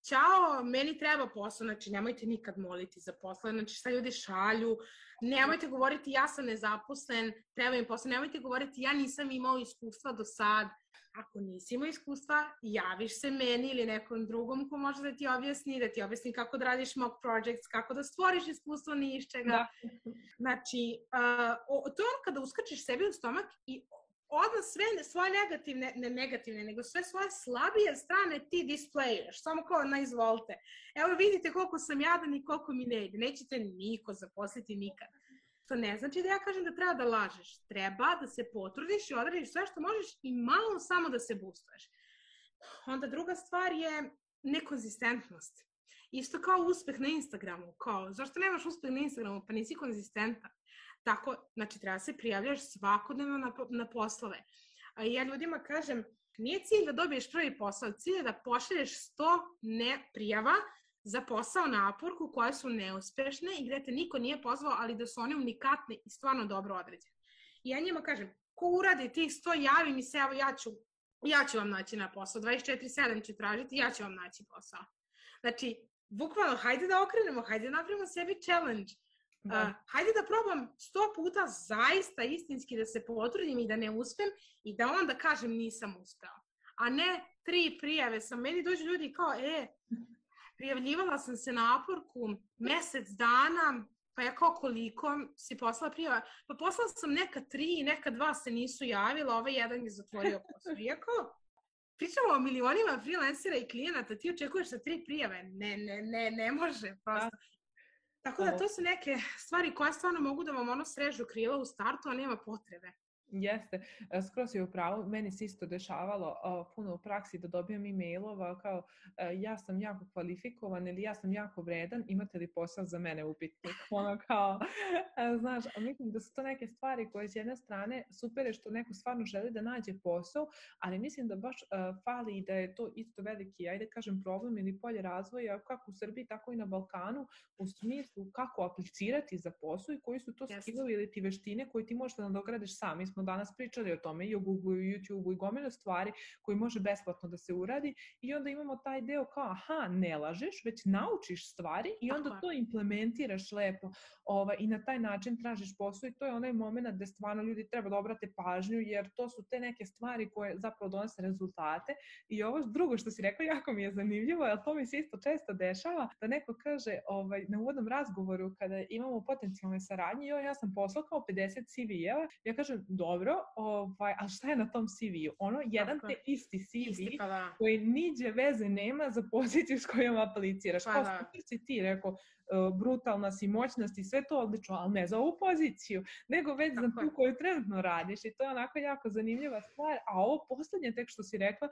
ćao, meni treba posao, znači nemojte nikad moliti za posao, znači šta ljudi šalju, nemojte govoriti ja sam nezaposlen, treba im posao, nemojte govoriti ja nisam imao iskustva do sad. Ako nisi imao iskustva, javiš se meni ili nekom drugom ko može da ti objasni, da ti objasni kako da radiš mock projects, kako da stvoriš iskustvo ni iz čega. Da. Znači, uh, to je ono kada uskačiš sebi u stomak i odmah sve svoje negativne, ne negativne, nego sve svoje slabije strane ti displejuješ, samo kao na izvolite. Evo vidite koliko sam jadan i koliko mi ne ide. Nećete niko zaposliti nikad. To ne znači da ja kažem da treba da lažeš. Treba da se potrudiš i odradiš sve što možeš i malo samo da se boostuješ. Onda druga stvar je nekonzistentnost. Isto kao uspeh na Instagramu. Kao, zašto nemaš uspeh na Instagramu? Pa nisi konzistentan. Tako, znači treba se prijavljaš svakodnevno na, na poslove. A ja ljudima kažem, nije cilj da dobiješ prvi posao, cilj je da pošalješ sto ne prijava za posao na Upworku koje su neuspešne i gde te niko nije pozvao, ali da su one unikatne i stvarno dobro određene. I ja njima kažem, ko uradi tih sto, javi mi se, evo ja ću, ja ću vam naći na posao, dvadeset četiri sedam ću tražiti, ja ću vam naći posao. Znači, bukvalno, hajde da okrenemo, hajde da napravimo sebi challenge. Uh, hajde da probam sto puta zaista istinski da se potrudim i da ne uspem i da onda kažem nisam uspeo. A ne tri prijave sam, meni dođu ljudi kao, e, prijavljivala sam se na Upworku mesec dana, pa ja kao koliko si poslala prijava? Pa poslala sam neka tri, neka dva se nisu javila, ovaj jedan je zatvorio posao. Iako pričamo o milionima freelancera i klijenata, ti očekuješ sa tri prijave? Ne, ne, ne, ne može prosto. Tako da to su neke stvari koje stvarno mogu da vam ono srežu krila u startu, a nema potrebe. Jeste, skroz je upravo, meni se isto dešavalo uh, puno u praksi da dobijam e-mailova kao uh, ja sam jako kvalifikovan ili ja sam jako vredan, imate li posao za mene upitnik? Ono kao, uh, znaš, mislim da su to neke stvari koje s jedne strane super je što neko stvarno želi da nađe posao, ali mislim da baš uh, fali i da je to isto veliki, ajde kažem, problem ili polje razvoja kako u Srbiji, tako i na Balkanu, u smislu kako aplicirati za posao i koji su to yes. skillovi ili ti veštine koje ti možeš da nadogradiš sam. Mi smo danas pričali o tome i o Google, i YouTube, i gomilu stvari koji može besplatno da se uradi i onda imamo taj deo kao, aha, ne lažeš, već naučiš stvari i onda Aha. to implementiraš lepo ovaj, i na taj način tražiš posao i to je onaj moment gde stvarno ljudi treba da obrate pažnju jer to su te neke stvari koje zapravo donose rezultate i ovo drugo što si rekla jako mi je zanimljivo, jer to mi se isto često dešava da neko kaže ovaj, na uvodnom razgovoru kada imamo potencijalne saradnje, jo, ja sam poslao kao pedeset C V-eva, ja kažem, dobro, ovaj, a šta je na tom C V-u? Ono, jedan te isti C V isti, pa da. Koji niđe veze nema za poziciju s kojom apliciraš. Pa kao super si ti rekao, brutalna si, moćna si, sve to odlično, ali ne za ovu poziciju, nego već Tako za tu koju trenutno radiš i to je onako jako zanimljiva stvar, a ovo poslednje tek što si rekla,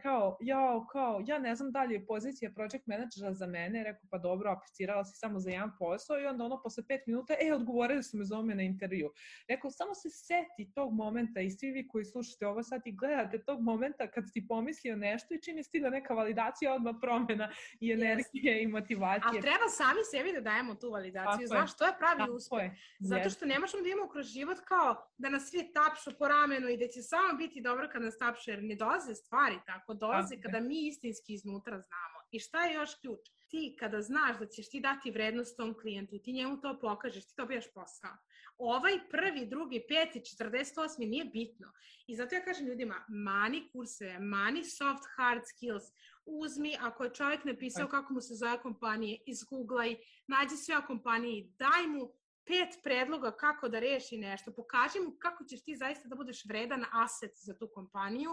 kao, ja, kao, ja ne znam da li je pozicija project managera za mene, rekao pa dobro, aplicirala si samo za jedan posao i onda ono posle pet minuta, e, odgovorili su me za ome na intervju. Rekao, samo se seti i tog momenta i svi vi koji slušate ovo sad i gledate tog momenta kad si pomislio nešto i čini stigla neka validacija, odmah promena i energije yes. i motivacije. Ali treba sami sebi da dajemo tu validaciju, tako znaš, je. To je pravi tako uspeh. Je. Zato što ne možemo da imamo kroz život kao da nas svi tapšu po ramenu i da će samo biti dobro kad nas tapšu, jer ne dolaze stvari tako, dolaze tako kada je. Mi istinski iznutra znamo. I šta je još ključ? Ti kada znaš da ćeš ti dati vrednost tom klijentu, ti njemu to pokažeš, ti dobijaš posao. Ovaj prvi, drugi, peti, četrdeset osmi nije bitno. I zato ja kažem ljudima, mani kurseve, mani soft hard skills, uzmi, ako je čovjek napisao kako mu se zove kompanije, izgooglaj, nađi sve o kompaniji, daj mu pet predloga kako da reši nešto, pokaži mu kako ćeš ti zaista da budeš vredan aset za tu kompaniju,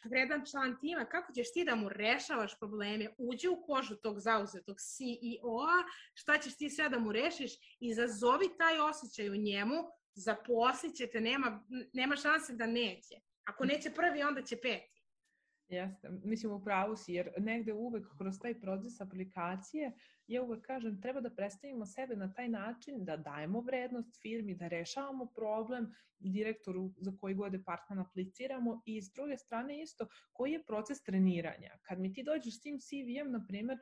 vredan član tima, kako ćeš ti da mu rešavaš probleme, uđi u kožu tog zauzetog C E O-a, šta ćeš ti sve da mu rešiš, izazovi taj osjećaj u njemu, zaposlit ćete, nema, nema šanse da neće. Ako neće prvi, onda će peti. Jeste, mislim u pravu si, jer negde uvek kroz taj proces aplikacije, ja uvek kažem, treba da predstavimo sebe na taj način da dajemo vrednost firmi, da rešavamo problem direktoru za koji god departman apliciramo i s druge strane isto, koji je proces treniranja. Kad mi ti dođeš s tim C V-em, na primjer,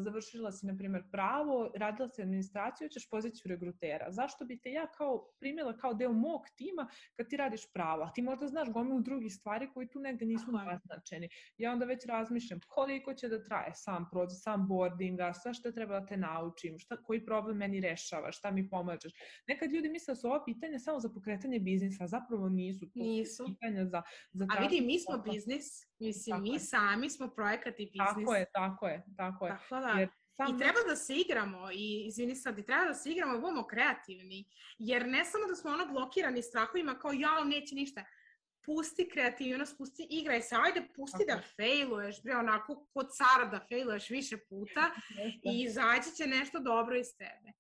završila si, na primjer, pravo, radila si administraciju, ćeš poziciju regrutera. Zašto bi te ja kao primjela kao deo mog tima kad ti radiš pravo? A ti možda znaš gomilu drugih stvari koji tu negde nisu naznačeni. Ja onda već razmišljam koliko će da traje sam proces, sam boardinga, sve što treba da te naučim, šta, koji problem meni rešava, šta mi pomažeš. Nekad ljudi misle da su ova pitanja samo za pokretanje biznisa, a zapravo nisu. To nisu. Pitanja za, za a vidi, mi smo biznis, mislim, tako mi je. Sami smo projekat i biznis. Tako je, tako je, tako je. Tako da. Jer I treba da se igramo, i izvini sad, i treba da se igramo i budemo kreativni, jer ne samo da smo ono blokirani strahovima kao jao, neće ništa. Pusti kreativnost, pusti, igraj se, ajde pusti okay. da failuješ, bre, onako kod cara da failuješ više puta i izaći će nešto dobro iz tebe.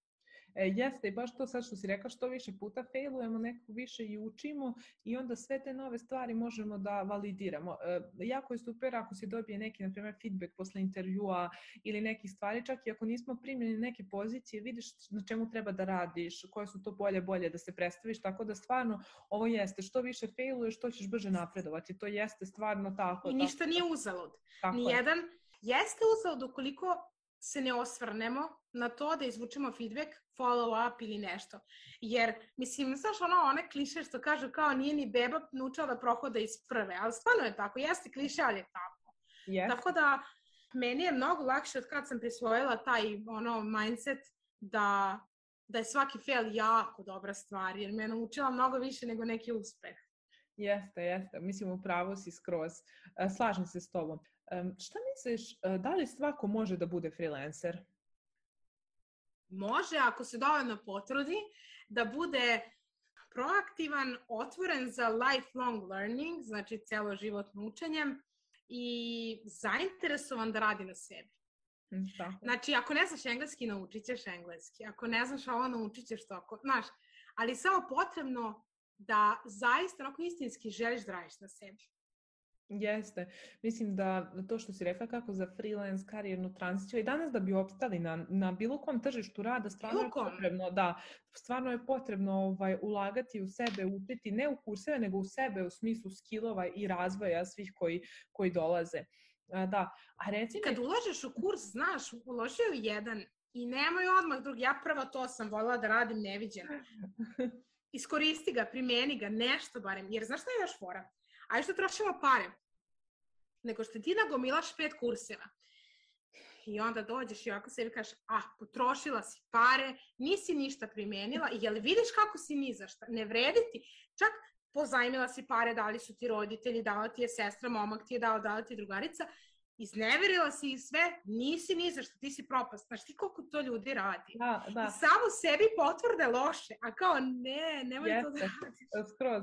E, jeste, i baš to sad što si rekla, što više puta failujemo, neko više i učimo i onda sve te nove stvari možemo da validiramo. E, jako je super ako si dobije neki, na primjer, feedback posle intervjua ili nekih stvari, čak i ako nismo primljeni neke pozicije, vidiš na čemu treba da radiš, koje su to bolje, bolje da se predstaviš, tako da stvarno ovo jeste, što više failuješ, to ćeš brže napredovati, to jeste stvarno tako. I ništa tako, nije uzalud. Nijedan jeste uzalud ukoliko se ne osvrnemo na to da izvučemo feedback, follow up ili nešto. Jer, mislim, znaš ono, one kliše što kažu kao nije ni beba naučila da prohoda iz prve, ali stvarno je tako, jeste kliše, ali je tako. Yes. Tako da, meni je mnogo lakše od kad sam prisvojila taj ono mindset da, da je svaki fail jako dobra stvar, jer me je naučila mnogo više nego neki uspeh. Jeste, jeste. Mislim, upravo si skroz. Slažem se s tobom. Šta misliš, da li svako može da bude freelancer? Može, ako se dovoljno potrudi, da bude proaktivan, otvoren za lifelong learning, znači celoživotno učenje i zainteresovan da radi na sebi. Tako. Znači, ako ne znaš engleski, naučit ćeš engleski. Ako ne znaš ovo, naučit ćeš to. Ako, znaš, ali samo potrebno da zaista onako istinski želiš da radiš na sebi. Jeste. Mislim da to što si rekla kako za freelance karijernu tranziciju i danas da bi opstali na, na bilo kom tržištu rada, stvarno je potrebno, da, stvarno je potrebno ovaj, ulagati u sebe, učiti ne u kurseve, nego u sebe u smislu skillova i razvoja svih koji, koji dolaze. Da. A reci mi... Kad ulažeš u kurs, znaš, uložio u jedan i nemoj odmah drugi, ja prvo to sam voljela da radim neviđeno. Iskoristi ga, primjeni ga, nešto barem, jer znaš šta je još fora? Ajde što trošimo pare, nego što ti nagomilaš pet kurseva. I onda dođeš i ovako sebi kažeš, ah, potrošila si pare, nisi ništa primenila, i jel vidiš kako si ni za šta, ne vredi ti, čak pozajmila si pare, dali su ti roditelji, dala ti je sestra, momak ti je dala, dala ti je drugarica, izneverila si ih sve, nisi ni za što, ti si propast. Znaš ti koliko to ljudi radi? Da, da. I samo sebi potvrde loše, a kao ne, nemoj Jeste, to da radiš. Skroz,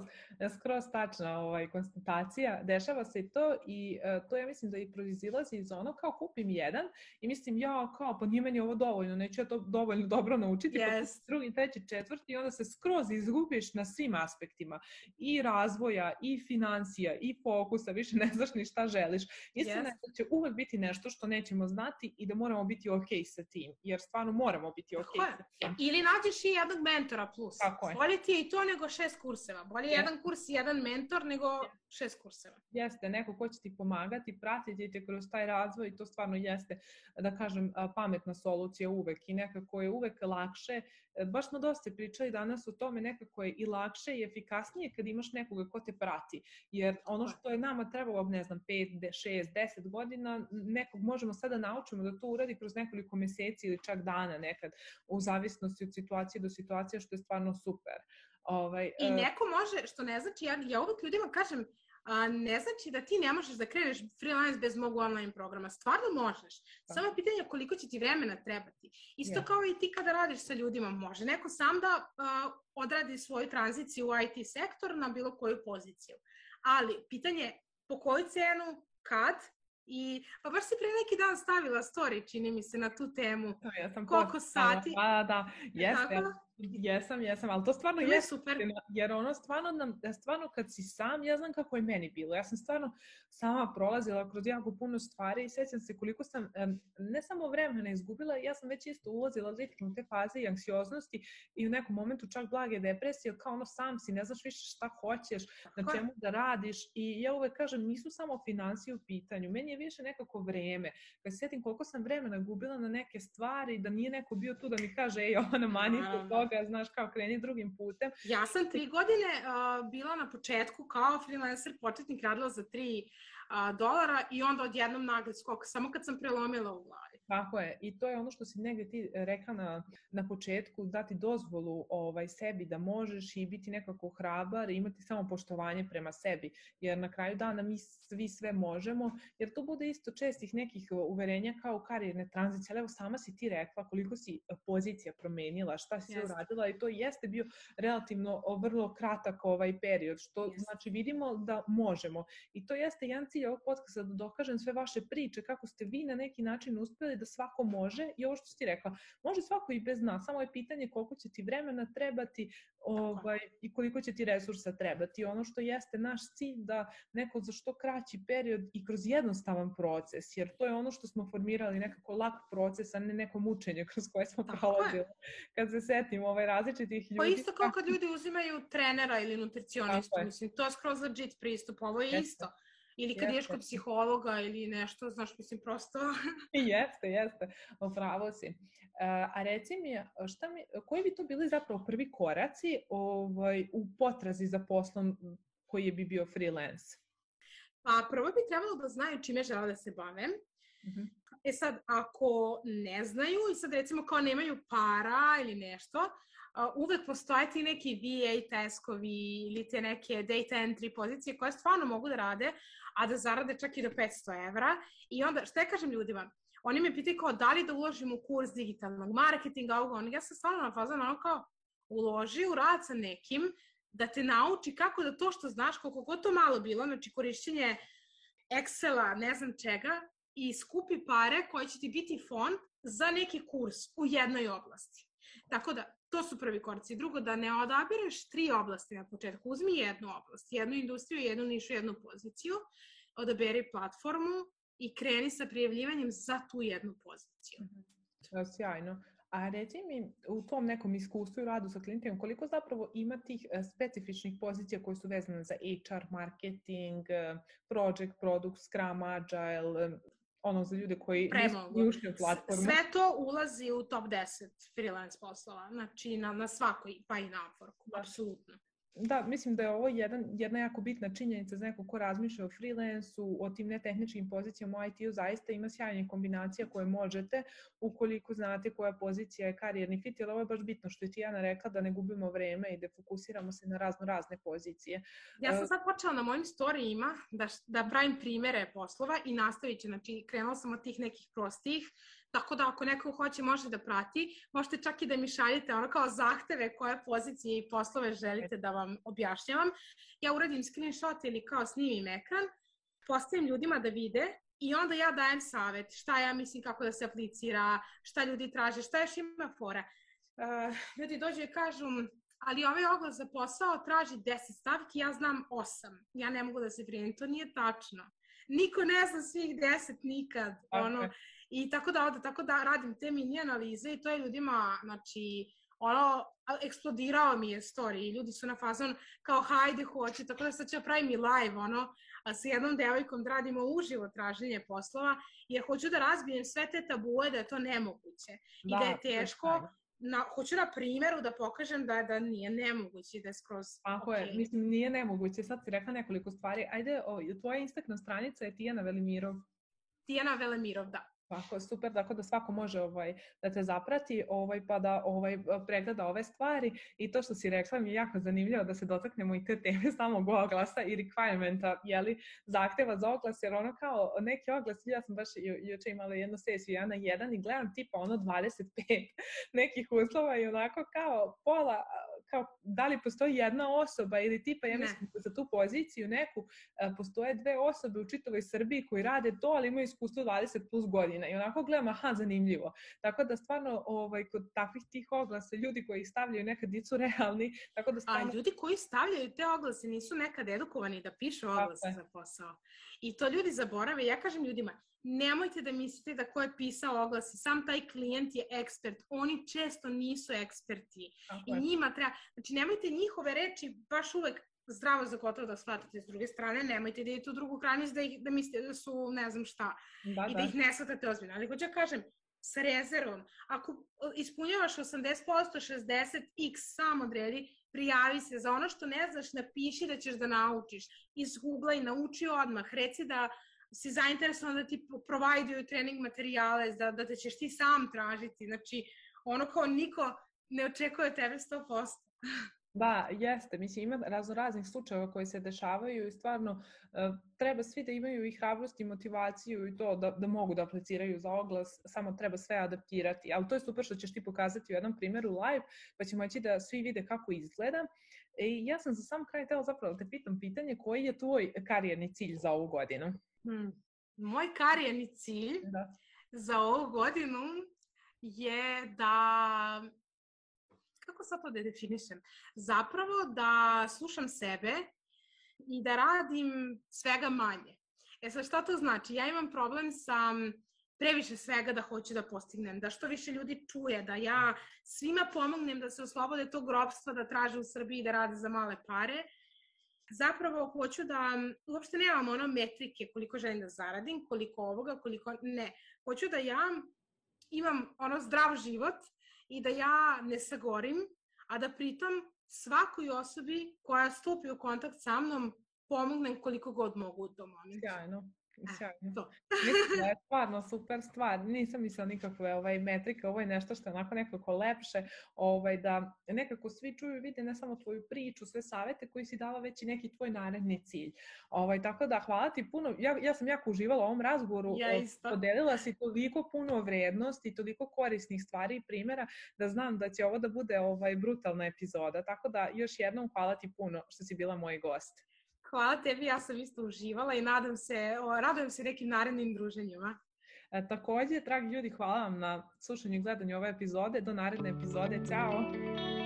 skroz tačna ovaj, konstatacija, dešava se i to i uh, to ja mislim da i proizilazi iz ono kao kupim jedan i mislim ja kao pa nije meni ovo dovoljno, neću ja to dovoljno dobro naučiti, yes. pa kupim drugi, treći, četvrti i onda se skroz izgubiš na svim aspektima i razvoja, i financija, i fokusa, više ne znaš ni šta želiš. Istina yes. je da će će uvek biti nešto što nećemo znati i da moramo biti ok sa tim, jer stvarno moramo biti ok sa tim. Ili nađeš i jednog mentora plus. Tako je. Bolje ti je i to nego šest kurseva. Bolje je jedan kurs i jedan mentor nego šest kurseva. Jeste, neko ko će ti pomagati, pratiti te kroz taj razvoj i to stvarno jeste, da kažem, pametna solucija uvek i nekako je uvek lakše. Baš smo dosta pričali danas o tome, nekako je i lakše i efikasnije kad imaš nekoga ko te prati. Jer ono što je nama trebalo, ne znam, pet, šest, deset godina, nekog možemo sada naučimo da to uradi kroz nekoliko meseci ili čak dana nekad, u zavisnosti od situacije do situacije, što je stvarno super. Ovaj, I neko može, što ne znači, ja, ja uvek ljudima kažem, a, ne znači da ti ne možeš da kreneš freelance bez mog online programa. Stvarno možeš. Samo je pitanje koliko će ti vremena trebati. Isto yeah. kao i ti kada radiš sa ljudima, može neko sam da a, odradi svoju tranziciju u I T sektor na bilo koju poziciju. Ali pitanje je po koju cenu, kad, i pa baš si pre neki dan stavila story, čini mi se, na tu temu. Ja sam koliko sati. Da, da, jeste. Jesam, jesam, ali to stvarno je super. Jer ono stvarno, nam, stvarno kad si sam, ja znam kako je meni bilo. Ja sam stvarno sama prolazila kroz jako puno stvari i sjećam se koliko sam ne samo vremena izgubila, ja sam već isto ulazila lično u te faze i anksioznosti i u nekom momentu čak blage depresije, kao ono sam si, ne znaš više šta hoćeš, na čemu da radiš i ja uvek kažem, nisu samo finansije u pitanju, meni je više nekako vreme. Kad se sjetim koliko sam vremena gubila na neke stvari, da nije neko bio tu da mi kaže, ej, ona mani se to, znaš, kao kreni drugim putem. Ja sam tri godine uh, bila na početku kao freelancer, početnik, radila za tri uh, dolara i onda odjednom nagli skok, samo kad sam prelomila u glavi. Tako je, i to je ono što si negdje ti rekla na, na početku, dati dozvolu ovaj, sebi da možeš i biti nekako hrabar i imati samo poštovanje prema sebi, jer na kraju dana mi svi sve možemo, jer to bude isto čestih nekih uverenja kao karijerne tranzicije, ali evo sama si ti rekla koliko si pozicija promenila, šta si yes. uradila i to jeste bio relativno vrlo kratak ovaj period, što yes. znači vidimo da možemo i to jeste jedan cilj ovog podcasta, da dokažem sve vaše priče, kako ste vi na neki način uspjeli da svako može i ovo što si ti rekla, može svako i bez nas, samo je pitanje koliko će ti vremena trebati ovaj, i koliko će ti resursa trebati. Ono što jeste naš cilj da neko za što kraći period i kroz jednostavan proces, jer to je ono što smo formirali, nekako lak proces, a ne neko mučenje kroz koje smo prolazili. Kad se setim ovaj, različitih ljudi... Pa isto kao kad ljudi uzimaju trenera ili nutricionistu, mislim, to je skroz legit pristup, ovo je jeste. Isto. Ili kad ješ kod psihologa ili nešto, znaš, mislim, prosto... jeste, jeste, upravo si. Uh, a reci mi, šta mi, koji bi to bili zapravo prvi koraci ovaj, u potrazi za poslom koji bi bio freelance? Pa prvo bi trebalo da znaju čime žele da se bave. Mm-hmm. E sad, ako ne znaju i sad recimo kao nemaju para ili nešto, Uh, uvek postoje ti neki V A taskovi ili te neke data entry pozicije koje stvarno mogu da rade, a da zarade čak i do petsto evra. I onda, šta ja kažem ljudima? Oni me pitaju kao da li da uložim u kurs digitalnog marketinga, ovoga, ja sam stvarno na fazonu ono kao uloži u rad sa nekim da te nauči kako da to što znaš, koliko god to malo bilo, znači korišćenje Excela, ne znam čega, i skupi pare koje će ti biti fond za neki kurs u jednoj oblasti. Tako da, to su prvi koraci. Drugo, da ne odabireš tri oblasti na početku. Uzmi jednu oblast, jednu industriju, jednu nišu, jednu poziciju, odaberi platformu i kreni sa prijavljivanjem za tu jednu poziciju. To je sjajno. A reci mi, u tom nekom iskustvu i radu sa klijentima, koliko zapravo ima tih specifičnih pozicija koje su vezane za H R, marketing, project, product, Scrum, Agile, ono za ljude koji nisu ušli u platformu? Sve to ulazi u top deset freelance poslova, znači na, na svakoj, pa i na Upworku, apsolutno. Da, mislim da je ovo jedan, jedna jako bitna činjenica za neko ko razmišlja o freelansu, o tim netehničkim pozicijama u I T-u, zaista ima sjajnih kombinacija koje možete, ukoliko znate koja pozicija je karijerni fit, jer ovo je baš bitno što je Tijana rekla, da ne gubimo vreme i da fokusiramo se na razno razne pozicije. Ja sam sad počela na mojim storijima da, da pravim primere poslova i nastavit ću, znači krenula sam od tih nekih prostih, tako da ako neko hoće može da prati, možete čak i da mi šaljete ono kao zahteve koje pozicije i poslove želite da vam objašnjavam. Ja uradim screenshot ili kao snimim ekran, postavim ljudima da vide i onda ja dajem savjet šta ja mislim kako da se aplicira, šta ljudi traže, šta još ima fora. Uh, ljudi dođu i kažu, ali ovaj oglas za posao traži deset stavki, ja znam osam. Ja ne mogu da se primim, to nije tačno. niko ne zna svih deset nikad. Ono, i tako da, onda, tako da radim te mini analize i to je ljudima, znači, ono, eksplodirao mi je story i ljudi su na fazon kao hajde hoću, tako da sad ću pravim i live, ono, a sa jednom devojkom da radimo uživo traženje poslova, jer hoću da razbijem sve te tabue da je to nemoguće i da, da je teško. Na, hoću na primjeru da pokažem da, da nije nemoguće, da je skroz Tako okay. je, mislim nije nemoguće, sad si rekla nekoliko stvari, ajde, o, tvoja Instagram stranica je Tijana Velimirov. Tijana Velimirov, da. Tako, super, tako da svako može ovaj, da te zaprati ovaj, pa da ovaj, pregleda ove stvari i to što si rekla mi je jako zanimljivo da se dotaknemo i te teme samog oglasa i requirementa, jeli, zahteva za oglas, jer ono kao neki oglas, ja sam baš juče imala jednu sesiju ja na jedan i gledam tipa ono dvadeset pet nekih uslova i onako kao pola, kao da li postoji jedna osoba ili tipa, ja mislim za tu poziciju neku, postoje dve osobe u čitavoj Srbiji koji rade to, ali imaju iskustvo dvadeset plus godina i onako gledam, aha, zanimljivo. Tako da stvarno ovaj, kod takvih tih oglasa ljudi koji stavljaju nekad nisu realni. Tako da stvarno... A ljudi koji stavljaju te oglase nisu nekad edukovani da pišu oglase za posao. I to ljudi zaborave. Ja kažem ljudima, nemojte da mislite da ko je pisao oglase, sam taj klijent je ekspert. Oni često nisu eksperti. Tako I njima treba... Znači, nemojte njihove reči baš uvek zdravo za gotovo da shvatate. S druge strane, nemojte da idete u drugu krajnost da, da mislite da su ne znam šta. Da, I da, da ih ne shvatate ozbiljno. Ali hoću ja kažem, sa rezervom, ako ispunjavaš osamdeset posto, šezdeset posto, x sam odredi, prijavi se. Za ono što ne znaš, napiši da ćeš da naučiš. Iz Google-a i nauči odmah. Reci da si zainteresovan da ti provajduju trening materijale, da, da te ćeš ti sam tražiti. Znači, ono kao niko ne očekuje od tebe sto posto. Da, jeste. Mislim, ima razno raznih slučajeva koji se dešavaju i stvarno uh, treba svi da imaju i hrabrost i motivaciju i to da, da mogu da apliciraju za oglas, samo treba sve adaptirati. Ali to je super što ćeš ti pokazati u jednom primjeru live, pa ćemo moći da svi vide kako izgleda. I ja sam za sam kraj htjela zapravo da te pitam pitanje, koji je tvoj karijerni cilj za ovu godinu? Hmm. Moj karijerni cilj da. za ovu godinu je da... Kako sad to da definišem? Zapravo da slušam sebe i da radim svega manje. E sad šta to znači? Ja imam problem sa previše svega da hoću da postignem, da što više ljudi čuje, da ja svima pomognem da se oslobode tog ropstva, da traže u Srbiji da rade za male pare. Zapravo hoću da, uopšte nemam ono metrike koliko želim da zaradim, koliko ovoga, koliko ne. Hoću da ja imam ono zdrav život i da ja ne sagorim, a da pritom svakoj osobi koja stupi u kontakt sa mnom pomognem koliko god mogu u tom momentu. Sjajno. Sjajno. Mislim da je stvarno super stvar. Nisam mislila nikakve ovaj, metrike, ovo je nešto što je onako nekako lepše, ovaj, da nekako svi čuju i vide ne samo tvoju priču, sve savete koji si dala, već i neki tvoj naredni cilj. Ovaj, tako da hvala ti puno. Ja, ja sam jako uživala u ovom razgovoru. Ja isto. Podelila si toliko puno vrednosti i toliko korisnih stvari i primjera da znam da će ovo da bude ovaj, brutalna epizoda. Tako da još jednom hvala ti puno što si bila moj gost. Hvala tebi, ja sam isto uživala i nadam se, o, radujem se nekim narednim druženjima. E, također, dragi ljudi, hvala vam na slušanju i gledanju ove epizode. Do naredne epizode. Ćao!